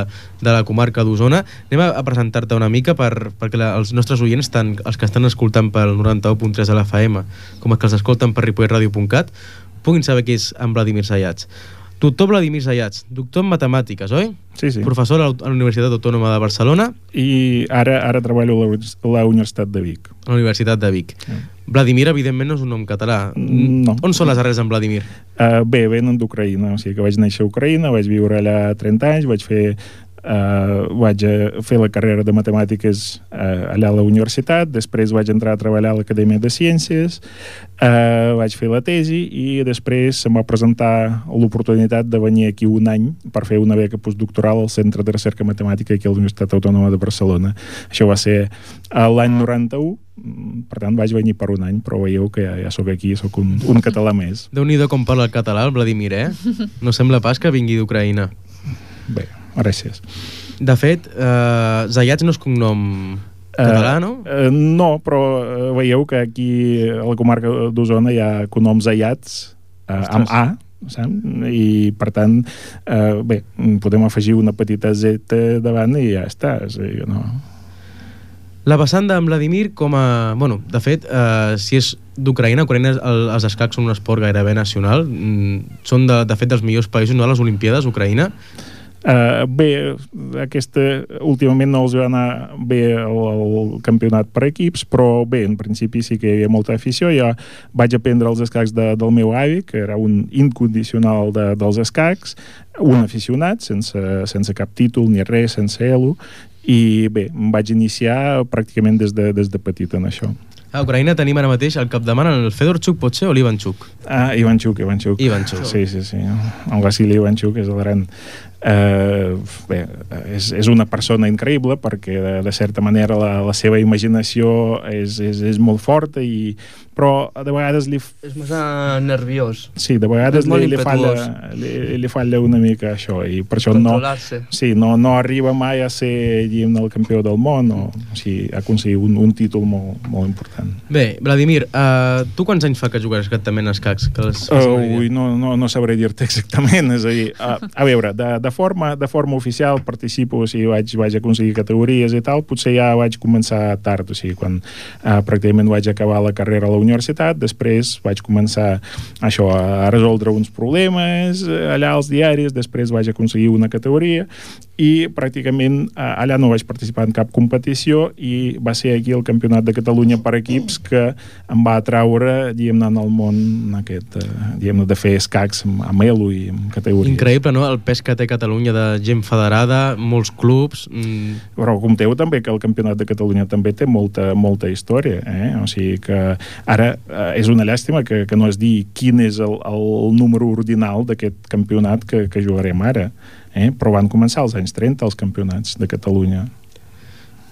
de la comarca d'Osona. Anem a, a presentar-te una mica per, perquè la, els nostres oients, tant els que estan escoltant pel noranta u punt tres de l'F M com els que els escolten per ripollet ràdio punt cat, puguin saber qui és en Vladimir Zayats. Doctor Vladimir Zayats, doctor en matemàtiques, oi? Sí, sí. Professor a la Universitat Autònoma de Barcelona. I ara ara treballo a la Universitat de Vic. A la Universitat de Vic. Sí. Vladimir, evidentment, no és un nom català. No. On són les arrels en Vladimir? Uh, bé, venen d'Ucraïna. O sigui que vaig néixer a Ucraïna, vaig viure allà trenta anys, vaig fer Uh, vaig fer la carrera de matemàtiques uh, allà a la universitat, després vaig entrar a treballar a l'Acadèmia de Ciències, uh, vaig fer la tesi i després se'm va presentar l'oportunitat de venir aquí un any per fer una beca postdoctoral al Centre de Recerca Matemàtica aquí a la Universitat Autònoma de Barcelona. Això va ser a l'any noranta-u, per tant vaig venir per un any, però veieu que ja, ja sóc aquí, sóc un, un català més. Déu-n'hi-do com parla el català, el Vladimir, eh? No sembla pas que vingui d'Ucraïna. Bé, gràcies. De fet, eh, Zayats no és cognom català, no? Uh, uh, no, però uh, veieu que aquí a la comarca d'Osona hi ha cognoms Zayats uh, amb A, saps? I per tant, uh, bé, podem afegir una petita Z davant i ja està. O sigui, no... La vessant d'en Vladimir com a... Bueno, de fet, eh, si és d'Ucraïna, Ucraïna el, els escacs són un esport gairebé nacional. Mm, són, de, de fet, dels millors països, no? A les Olimpíades, Ucraïna. Uh, bé, aquesta, últimament no els va anar bé el, el campionat per equips, però bé, en principi sí que hi havia molta afició. Jo vaig aprendre els escacs de, del meu avi, que era un incondicional de, dels escacs, un aficionat, sense, sense cap títol ni res, sense elo, i bé, em vaig iniciar pràcticament des de, des de petit en això. A Ucraïna tenim ara mateix al capdavant el Fedorchuk, pot ser, o l'Ivanchuk? Ah, Ivanchuk, Ivanchuk. Ivanchuk. Sí, sí, sí. El Vasily Ivanchuk és el gran... Uh, bé, és, és una persona increïble perquè de, de certa manera la, la seva imaginació és, és, és molt forta i, però de vegades li... És massa nerviós. Sí, de vegades li, li, falla, li, li falla una mica això i per això no, sí, no, no arriba mai a ser el campió del món o, o sigui, a aconseguir un, un títol molt, molt important. Bé, Vladimir, uh, tu quants anys fa que jugues exactament a escacs? Que les, uh, ui, no, no, no sabré dir-te exactament, és a dir, uh, a veure, de, de De forma, de forma oficial participo, o sigui, vaig, vaig aconseguir categories i tal, potser ja vaig començar tard, o sigui, quan uh, pràcticament vaig acabar la carrera a la universitat, després vaig començar això, a resoldre uns problemes allà als diaris, després vaig aconseguir una categoria i pràcticament uh, allà no vaig participar en cap competició i va ser aquí el Campionat de Catalunya per equips que em va atraure, diguem-ne, en el món aquest, uh, diguem-ne, de fer escacs amb, amb elo i amb categories. Increïble, no?, el pes que té Catalunya de gent federada, molts clubs... Mm. Però compteu també que el Campionat de Catalunya també té molta, molta història, eh? O sigui que ara eh, és una llàstima que, que no es digui quin és el, el número ordinal d'aquest campionat que, que jugarem ara, eh? Però van començar als anys trenta els campionats de Catalunya.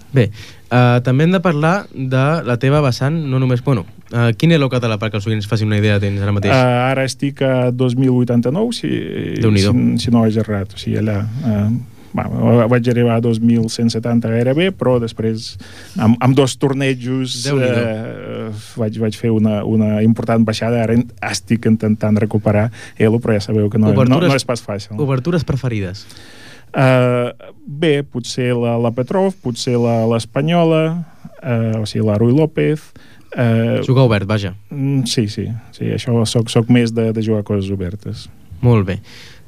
Bé, uh, també hem de parlar de la teva vessant, no només... Bueno, uh, quin elo català, perquè els oients facin una idea tens ara mateix? Uh, ara estic a dos mil vuitanta-nou, si, si, si no vaig errat, o sigui, allà... Uh, va, vaig arribar a dos mil cent setanta gairebé, però després amb, amb dos tornejos uh, vaig, vaig fer una, una important baixada. Ara estic intentant recuperar elo, però ja sabeu que no, no, no és pas fàcil. Obertures preferides? Uh, bé, potser la, la Petrov, potser l'Espanyola, uh, o sigui, la Ruy López. Uh, jugar obert, vaja. Sí, sí, sí, això soc, soc més de, de jugar coses obertes. Molt bé.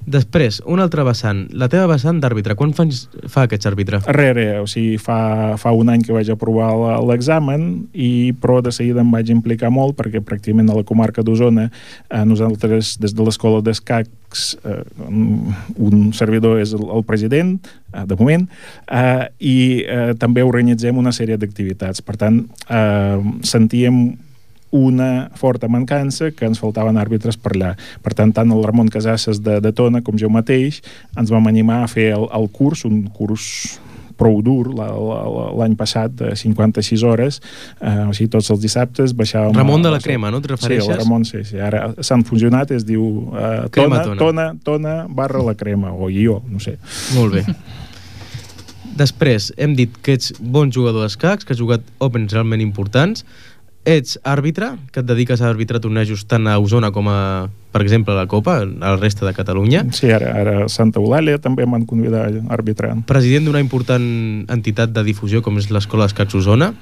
Després, un altre vessant, la teva vessant d'àrbitre, quan fa, fa aquests àrbitre? Re, re, o sigui, fa, fa un any que vaig aprovar l'examen, i però de seguida em vaig implicar molt perquè pràcticament a la comarca d'Osona eh, nosaltres des de l'escola d'escacs eh, un servidor és el, el president, eh, de moment, eh, i eh, també organitzem una sèrie d'activitats. Per tant, eh, sentíem una forta mancança que ens faltaven àrbitres per allà. Per tant, tant el Ramon Casasses de, de Tona com jo mateix ens vam animar a fer el, el curs, un curs prou dur l'any passat, de cinquanta-sis hores, eh, o sigui, tots els dissabtes baixàvem... Ramon de la Crema, no et refereixes? Sí, el Ramon, sí, sí. Ara s'han funcionat, es diu eh, tona, tona. tona, tona barra la Crema, o jo, no sé. Molt bé. Després, hem dit que ets bon jugador d'escacs, que has jugat Opens realment importants. Ets àrbitre, que et dediques a arbitrar tornejos tant a Osona com a, per exemple, a la Copa, a la resta de Catalunya. Sí, ara, ara a Santa Eulàlia també m'han convidat a arbitrar. President d'una important entitat de difusió com és l'Escola d'Escacs Osona.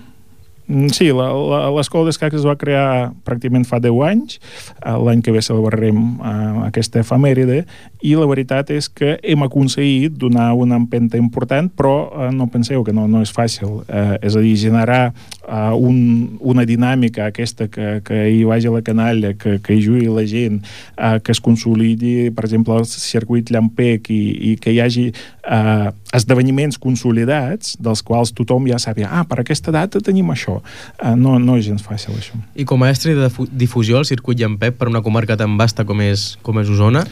Sí, l'escola d'escacs es va crear pràcticament fa deu anys, l'any que ve celebrarem uh, aquesta efemèride, i la veritat és que hem aconseguit donar una empenta important, però uh, no penseu que no, no és fàcil, uh, és a dir, generar uh, un, una dinàmica aquesta que, que hi vagi la canalla, que, que hi jugui la gent, uh, que es consolidi, per exemple, el circuit Llampec, i, i que hi hagi uh, esdeveniments consolidats dels quals tothom ja sàpiga, ah, per aquesta data tenim això. Uh, no, no és gens fàcil, això. I com a estri de difusió al circuit Llampec per una comarca tan vasta com és, com és Osona?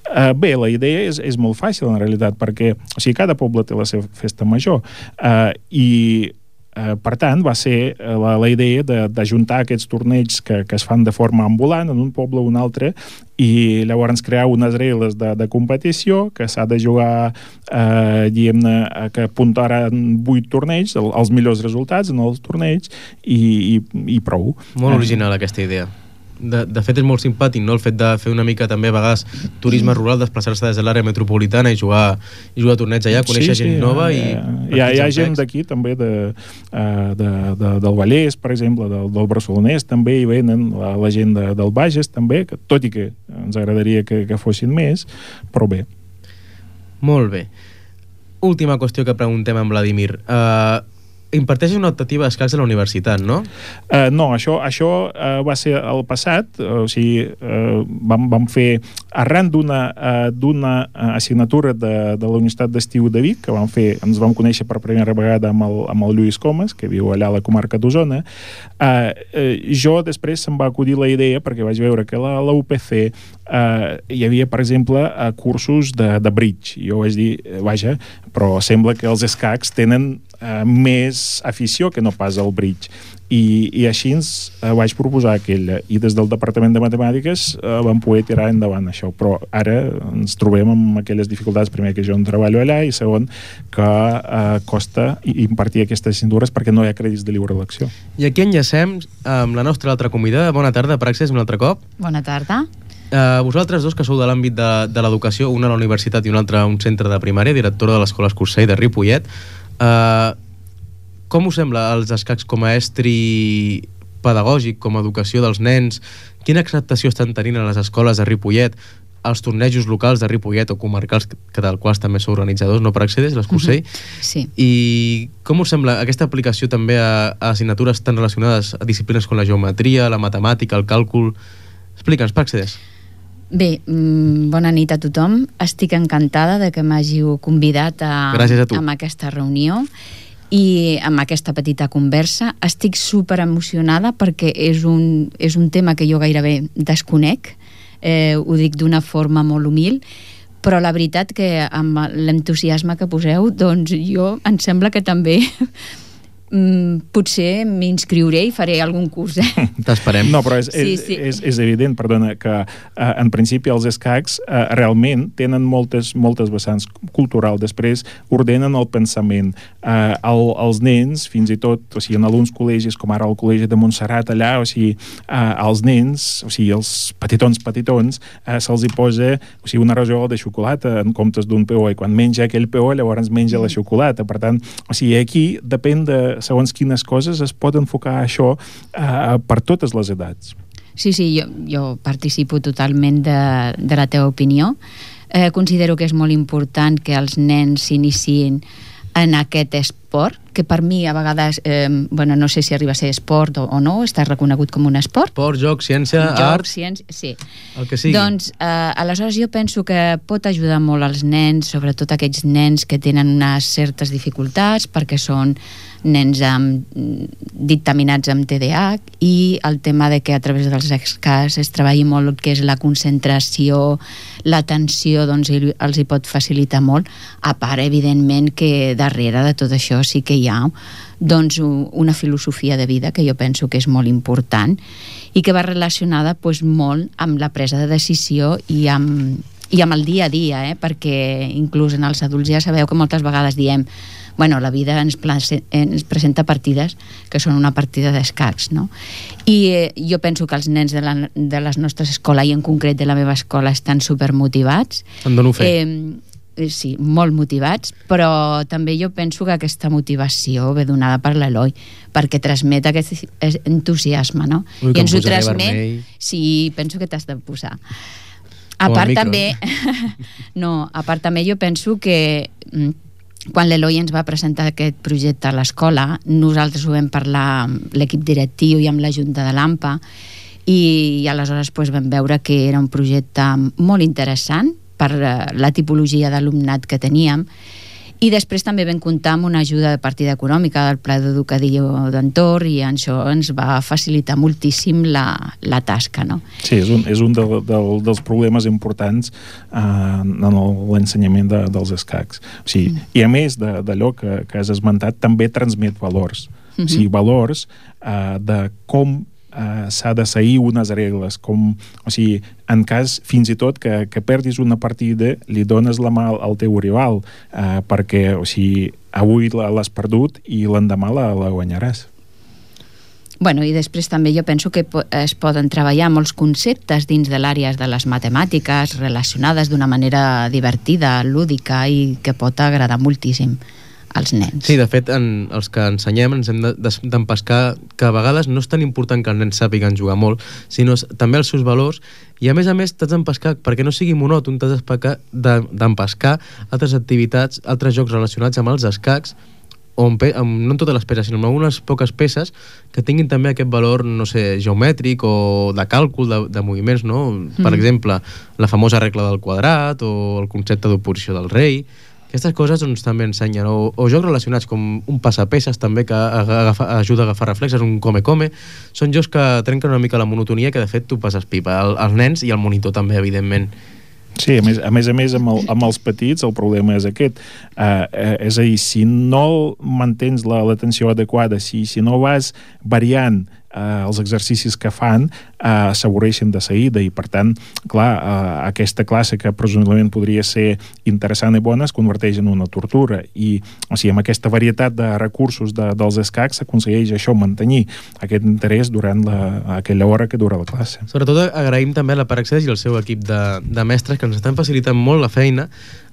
Uh, bé, la idea és, és molt fàcil, en realitat, perquè o sigui, cada poble té la seva festa major, uh, i Uh, per tant, va ser uh, la, la idea d'ajuntar aquests torneigs que, que es fan de forma ambulant en un poble o un altre, i llavors crear unes regles de, de competició que s'ha de jugar eh, diguem-ne, que puntaran vuit torneigs, el, els millors resultats en els torneigs, i, i, i prou. Molt original aquesta idea. De, de fet és molt simpàtic, no? El fet de fer una mica també a vegades turisme rural, desplaçar-se des de l'àrea metropolitana i jugar, i jugar a torneigs allà, conèixer sí, gent sí, nova i... Hi ha, hi ha gent d'aquí també de, de, de, del Vallès, per exemple, del, del Barcelonès, també hi venen la, la gent de, del Bages també, que, tot i que ens agradaria que, que fossin més, però bé. Molt bé. Última qüestió que preguntem a Vladimir. Uh, imparteixes una optativa d'escacs a la universitat, no? Uh, no, això, això uh, va ser el passat, uh, o sigui, uh, vam, vam fer, arran d'una uh, d'una assignatura de, de la Universitat d'Estiu de Vic, que vam fer, ens vam conèixer per primera vegada amb el, amb el Lluís Comas, que viu allà a la comarca d'Osona. Uh, uh, jo després se'm va acudir la idea, perquè vaig veure que la, la U P C uh, hi havia, per exemple, uh, cursos de, de bridge. Jo vaig dir, vaja, però sembla que els escacs tenen Uh, més afició que no pas al bridge, i, i així ens uh, vaig proposar aquella, i des del Departament de Matemàtiques uh, vam poder tirar endavant això, però ara ens trobem amb aquelles dificultats, primer que jo no treballo allà, i segon que uh, costa impartir aquestes assignatures perquè no hi ha crèdits de lliure elecció. I aquí enllacem amb la nostra altra convidada. Bona tarda, Praxis, un altre cop. Bona tarda. Uh, vosaltres dos, que sou de l'àmbit de, de l'educació, una a la universitat i una altra a un centre de primària, directora de l'Escola Escursell de Ripollet, Uh, com us sembla els escacs com a estri pedagògic, com a educació dels nens? Quina acceptació estan tenint a les escoles de Ripollet, als tornejos locals de Ripollet o comarcals, que del quals també sou organitzadors, no, per Accedeix, l'Escursell? Uh-huh. Sí. I com us sembla aquesta aplicació també a, a assignatures tan relacionades a disciplines com la geometria, la matemàtica, el càlcul? Explica'ns, per Accedeix. Bé, bona nit a tothom. Estic encantada de que m'hàgiu convidat a, Gràcies a tu. a aquesta reunió i amb aquesta petita conversa. Estic super emocionada perquè és un, és un tema que jo gairebé desconec, eh, ho dic d'una forma molt humil, però la veritat que amb l'entusiasme que poseu, doncs jo em sembla que també Mm, potser m'inscriuré i faré algun curs, eh? T'esperem. No, però és, sí, és, sí. és, és evident, perdona, que eh, en principi els escacs eh, realment tenen moltes, moltes vessants cultural. Després ordenen el pensament. Eh, el, els nens, fins i tot, o sigui, en alguns col·legis, com ara el col·legi de Montserrat, allà, o sigui, eh, els nens, o sigui, els petitons, petitons, eh, se'ls hi posa, o sigui, una rajola de xocolata en comptes d'un peó, i quan menja aquell peó, llavors menja la xocolata. Per tant, o sigui, aquí depèn de segons quines coses es pot enfocar això eh, per totes les edats. Sí, sí, jo, jo participo totalment de, de la teva opinió. Eh, considero que és molt important que els nens s'iniciïn en aquest esport, que per mi a vegades, eh, bueno, no sé si arriba a ser esport o, o no, està reconegut com un esport. Esport, joc, ciència, joc, art... ciència, sí. El que sigui. Doncs, eh, aleshores jo penso que pot ajudar molt als nens, sobretot aquells nens que tenen unes certes dificultats, perquè són nens amb, dictaminats amb T D A H, i el tema de que a través dels escacs es treballi molt el que és la concentració, l'atenció, doncs els hi pot facilitar molt, a part, evidentment, que darrere de tot això sí que hi ha doncs una filosofia de vida que jo penso que és molt important i que va relacionada doncs, molt amb la presa de decisió i amb, i amb el dia a dia, eh? Perquè inclús en els adults ja sabeu que moltes vegades diem bueno, la vida ens, ens presenta partides que són una partida d'escacs, no? I eh, jo penso que els nens de, la, de les nostres escoles, i en concret de la meva escola, estan supermotivats. En dono fe. Eh, sí, molt motivats, però també jo penso que aquesta motivació ve donada per l'Eloi, perquè transmet aquest entusiasme, no? Ui, i ens ho transmet... Sí, penso que t'has de posar. A Com part micro, també... no, a part també jo penso que... quan l'Eloi ens va presentar aquest projecte a l'escola, nosaltres ho vam parlar amb l'equip directiu i amb la Junta de l'AMPA, i, i aleshores doncs, vam veure que era un projecte molt interessant per la tipologia d'alumnat que teníem, i després també vam comptar amb una ajuda de partida econòmica del Pla d'Educació d'Entorn, i això ens va facilitar moltíssim la, la tasca, no? Sí, és un, és un de, de, dels problemes importants eh, en l'ensenyament de, dels escacs. O sigui, mm. I a més d'allò que, que has esmentat, també transmet valors. Mm-hmm. O sigui, valors eh, de com Uh, s'ha de seguir unes regles, com, o sigui, en cas fins i tot que, que perdis una partida, li dones la mà al teu rival, uh, perquè, o sigui, avui l'has perdut i l'endemà la, la guanyaràs. Bueno, i després també jo penso que es poden treballar molts conceptes dins de l'àrea de les matemàtiques relacionades d'una manera divertida, lúdica, i que pot agradar moltíssim als nens. Sí, de fet, en els que ensenyem ens hem d'empescar que a vegades no és tan important que els nens sàpiguen jugar molt, sinó també els seus valors, i a més a més t'has d'empescar, perquè no sigui monòton, t'has d'empescar altres activitats, altres jocs relacionats amb els escacs, o amb, amb, no en totes les peces, sinó amb algunes poques peces que tinguin també aquest valor, no sé, geomètric o de càlcul de, de moviments, no? Mm. Per exemple, la famosa regla del quadrat o el concepte d'oposició del rei. Aquestes coses doncs, també ensenyen, o, o jocs relacionats com un passapeces també, que agafa, ajuda a agafar reflexes, un come-come. Són jocs que trenquen una mica la monotonia, que de fet tu passes pipa, el, els nens i el monitor també, evidentment. Sí, a més a més, a més amb, el, amb els petits el problema és aquest. Uh, uh, és a dir, si no mantens l'atenció adequada, si, si no vas variant uh, els exercicis que fan, uh, s'avorreixen de seguida, i per tant, clar, uh, aquesta classe que presumiblement podria ser interessant i bona es converteix en una tortura, i o sigui, amb aquesta varietat de recursos de, dels escacs s'aconsegueix això, mantenir aquest interès durant la, aquella hora que dura la classe. Sobretot agraïm també a la Paraccés i al seu equip de, de mestres que ens estan facilitant molt la feina.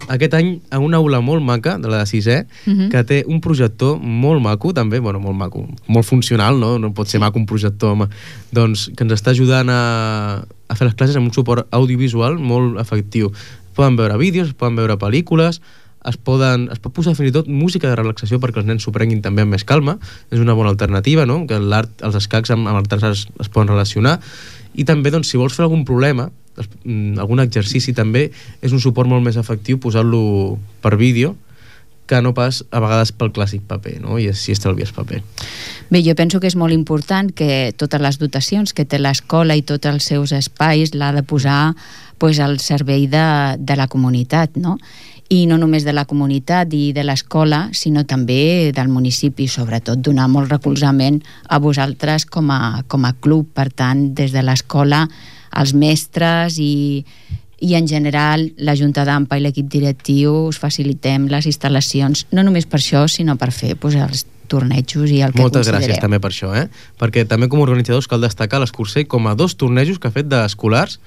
Aquest any a una aula molt maca, de la de sisè, uh-huh. que té un projector molt maco també, bueno, molt maco, molt funcional, no? No pot ser maco un projector, home. Doncs que ens està ajudant a, a fer les classes amb un suport audiovisual molt efectiu. Poden veure vídeos, poden veure pel·lícules, es, poden, es pot posar fins i tot música de relaxació perquè els nens s'ho prenguin també amb més calma. És una bona alternativa, no? Que l'art, els escacs amb, amb altres arts es poden relacionar. I també, doncs, si vols fer algun problema, algun exercici també, és un suport molt més efectiu posar-lo per vídeo que no pas a vegades pel clàssic paper, no? I així estalvies paper. Bé, jo penso que és molt important que totes les dotacions que té l'escola i tots els seus espais l'ha de posar pues, al servei de, de la comunitat, no? I no només de la comunitat i de l'escola, sinó també del municipi, sobretot donar molt recolzament a vosaltres com a, com a club. Per tant, des de l'escola, els mestres i, i en general la Junta d'AMPA i l'equip directiu us facilitem les instal·lacions, no només per això, sinó per fer pues, els tornejos i el que Moltes considereu. gràcies també per això, eh? Perquè també com a organitzadors cal destacar l'Escurcer com a dos tornejos que ha fet d'escolars,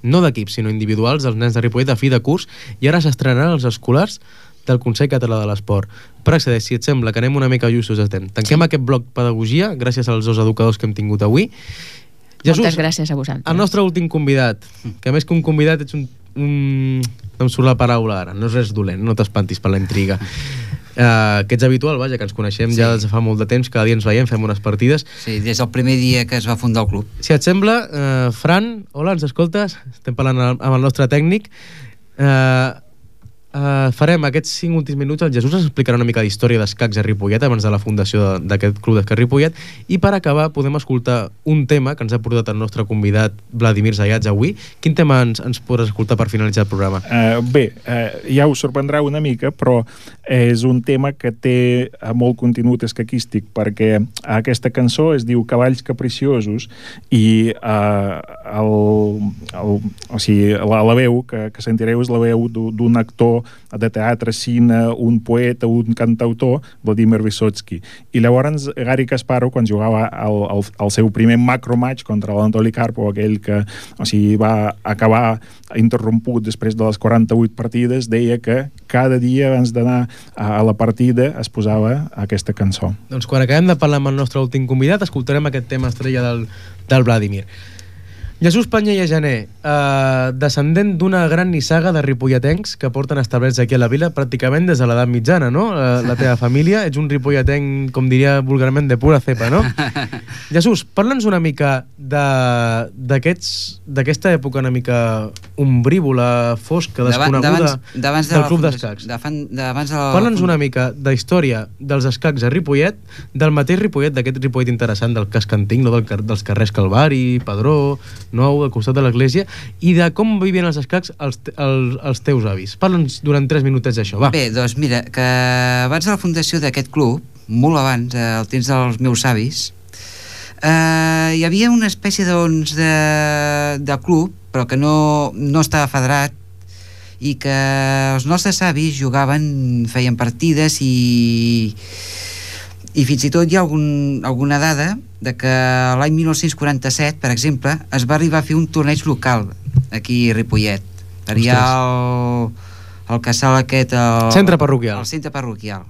no d'equips, sinó individuals, dels nens de Ripollet a fi de curs, i ara s'estrenaran els escolars del Consell Català de l'Esport. Per accedir, si et sembla que anem una mica justos a temps. Tanquem sí. aquest bloc pedagogia, gràcies als dos educadors que hem tingut avui. Jesús, moltes gràcies a vosaltres. El nostre últim convidat, que més que un convidat ets un, Mm, no em surt la paraula ara, no és res dolent, no t'espantis per la intriga. Uh, que ets habitual, vaja, que ens coneixem sí. ja des de fa molt de temps, cada dia ens veiem, fem unes partides. Sí, des del primer dia que es va fundar el club. Si et sembla, uh, Fran, hola, ens escoltes? Estem parlant amb el nostre tècnic. Uh, Uh, farem aquests cinc últims minuts. El Jesús ens explicarà una mica d'història d'escacs a Ripollet abans de la fundació d'aquest club d'escacs Ripollet, i per acabar podem escoltar un tema que ens ha portat el nostre convidat Vladimir Zayats avui. Quin tema ens, ens podràs escoltar per finalitzar el programa? Uh, bé, uh, ja us sorprendrà una mica, però és un tema que té molt contingut escaquístic, perquè aquesta cançó es diu Cavalls Capriciosos i uh, el, el, o sigui, la, la veu que, que sentireu és la veu d'un actor de teatre, cine, un poeta, un cantautor, Vladimir Vysotsky. I llavors Gary Kasparov, quan jugava el, el, el seu primer macromatch contra l'Anatoly Karpov, aquell que o sigui, va acabar interromput després de les quaranta-vuit partides, deia que cada dia abans d'anar a la partida es posava aquesta cançó. Doncs quan acabem de parlar amb el nostre últim convidat, escoltarem aquest tema estrella del, del Vladimir. Jesús Panyella Jané, eh, descendent d'una gran nissaga de ripolletencs que porten establerts aquí a la vila pràcticament des de l'edat mitjana, no? La, la teva família, ets un ripolletenc, com diria vulgarment, de pura cepa, no? Jesús, parla'ns una mica d'aquesta època una mica ombrívola, fosca, desconeguda d'abans del club d'escacs. Parla'ns una mica de història dels escacs a Ripollet, del mateix Ripollet, d'aquest Ripollet interessant del casc antic, no? Del, dels carrers Calvari, Padró, Nou, al costat de l'església, i de com vivien els escacs els, els, els teus avis. Parla'ns durant tres minutets d'això, va. Bé, doncs mira, que abans de la fundació d'aquest club, molt abans, al temps dels meus avis, eh, hi havia una espècie doncs, de, de club, però que no, no estava federat, i que els nostres avis jugaven, feien partides i... i fins i tot hi ha algun, alguna dada de que l'any dinou quaranta-set, per exemple, es va arribar a fer un torneig local aquí a Ripollet. Hi ha el, el casal aquest... El centre parroquial. El centre parroquial.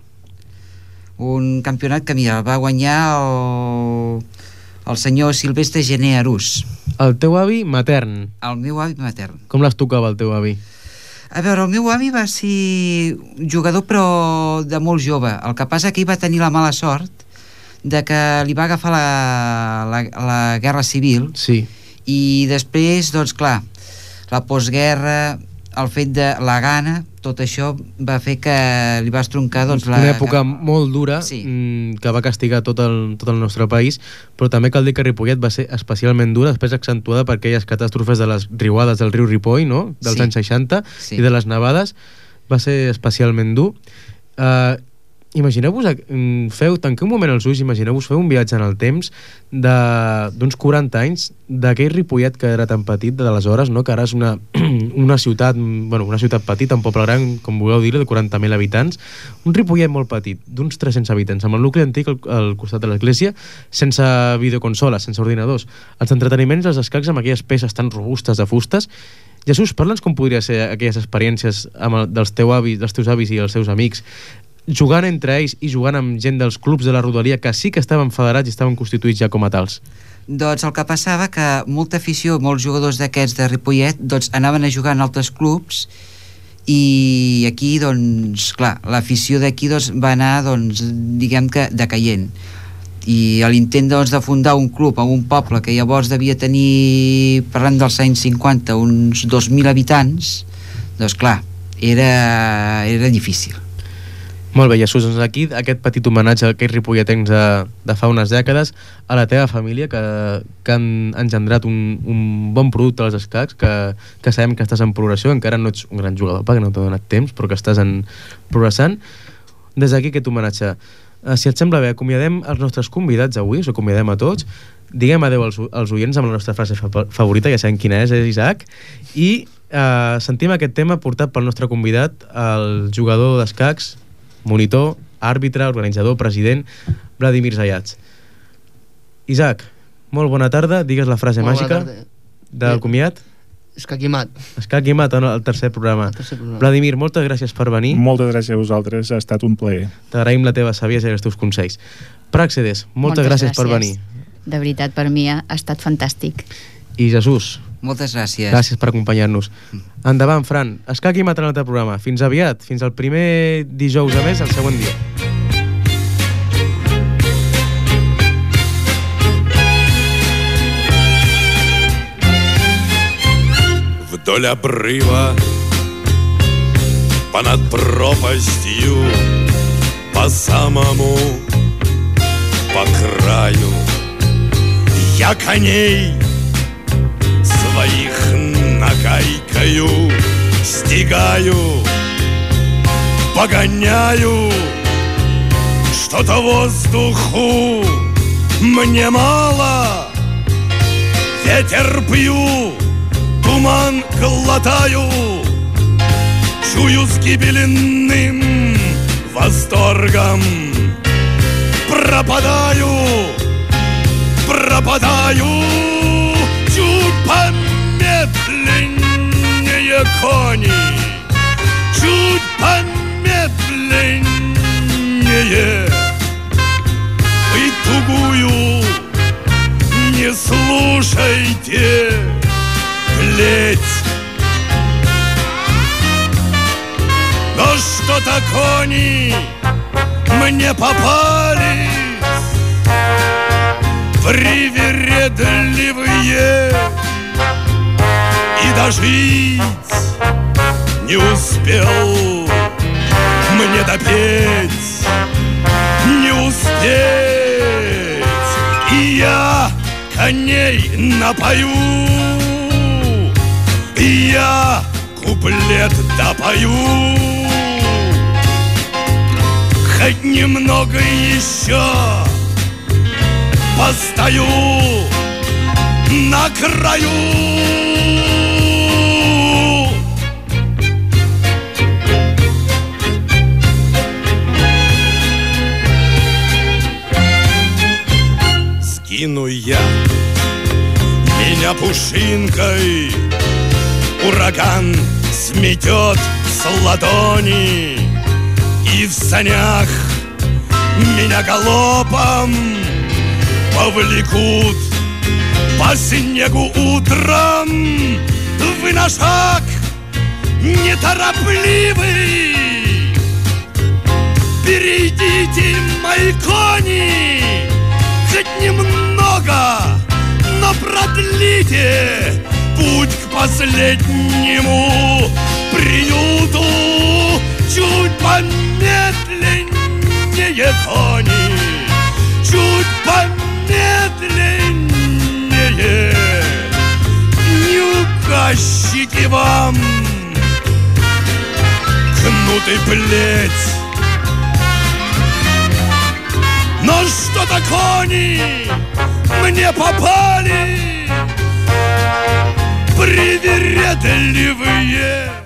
Un campionat que, mira, el va guanyar el, el senyor Silvestre Gené Arús. El teu avi matern. El meu avi matern. Com les tocava el teu avi? A veure, el meu avi va ser jugador però de molt jove. El que passa que ell va tenir la mala sort de que li va agafar la, la, la guerra civil. Sí. I després, doncs clar, la postguerra, el fet de la gana, tot això va fer que li va estroncar doncs, la... Una època molt dura, sí. Que va castigar tot el, tot el nostre país, però també cal dir que Ripollet va ser especialment dura, després accentuada per aquelles catàstrofes de les riuades del riu Ripoll, no? Dels sí. anys seixanta, sí. I de les nevades, va ser especialment dur. Uh, imagineu-vos, feu, tanqueu un moment els ulls, imagineu-vos fer un viatge en el temps d'uns quaranta anys d'aquell Ripollet que era tan petit de l'aleshores, no? Que ara és una, una ciutat, bueno, una ciutat petita, un poble gran, com vulgueu dir, de quaranta mil habitants, un Ripollet molt petit, d'uns tres-cents habitants, amb el nucli antic al, al costat de l'església, sense videoconsoles, sense ordinadors, els entreteniments, els escacs amb aquelles peces tan robustes de fustes. Jesús, parla'ns com podria ser aquelles experiències amb el, dels, teu avis, dels teus avis i els seus amics, jugant entre ells i jugant amb gent dels clubs de la rodalia que sí que estaven federats i estaven constituïts ja com a tals. Doncs el que passava que molta afició, molts jugadors d'aquests de Ripollet doncs anaven a jugar en altres clubs i aquí doncs clar, l'afició d'aquí doncs va anar doncs diguem que decaient i a l'intent doncs de fundar un club en un poble que llavors devia tenir, parlant dels anys cinquanta, uns dos mil habitants, doncs clar, era, era difícil. Molt bé, Jesús, doncs aquí aquest petit homenatge a aquells ripolletens de, de fa unes dècades, a la teva família que, que han engendrat un, un bon producte als escacs, que, que sabem que estàs en progressió, encara no ets un gran jugador perquè no t'ha donat temps, però que estàs en progressant. Des d'aquí aquest homenatge. Uh, si et sembla bé, acomiadem els nostres convidats avui, us acomiadem a tots, diguem adeu als, als oients amb la nostra frase fa favorita, ja sabem quina és, és Isaac, i uh, sentim aquest tema portat pel nostre convidat, el jugador d'escacs, monitor, àrbitre, organitzador, president, Vladimir Zayats. Isaac, molt bona tarda, digues la frase molt màgica del comiat. Escaquimat. Escaquimat, el tercer programa. El tercer programa. Vladimir, moltes gràcies per venir. Moltes gràcies a vosaltres, ha estat un plaer. T'agraïm la teva saviesa i els teus consells. Pràxedes, moltes, moltes gràcies, gràcies per venir. De veritat, per mi ha estat fantàstic. I Jesús, Moltes gràcies. Gràcies per acompanyar-nos. Endavant, Fran. Escac i Maternat al programa. Fins aviat. Fins al primer dijous a mes, el següent dia. Вдоль обрыва, понад пропастью, по самому, по краю, я коней своих нагайкою стигаю, погоняю, что-то воздуху мне мало, ветер пью, туман глотаю, чую с гибельным восторгом, пропадаю, пропадаю, чуть помедленнее кони, чуть помедленнее, вы тугую не слушайте, плеть. Но что-то кони мне попались привередливые, и дожить не успел мне допеть, не успеть, и я коней напою, и я куплет допою, хоть немного еще постою на краю. Скину я меня пушинкой, ураган сметет с ладони, и в санях меня галопом повлекут по снегу утром. Вы на шаг неторопливый, перейдите, мои кони, хоть немного, но продлите путь к последнему приюту. Чуть помедленнее, кони, чуть помедленнее, не угощите вам кнут и плеть. Но что-то кони мне попали привередливые.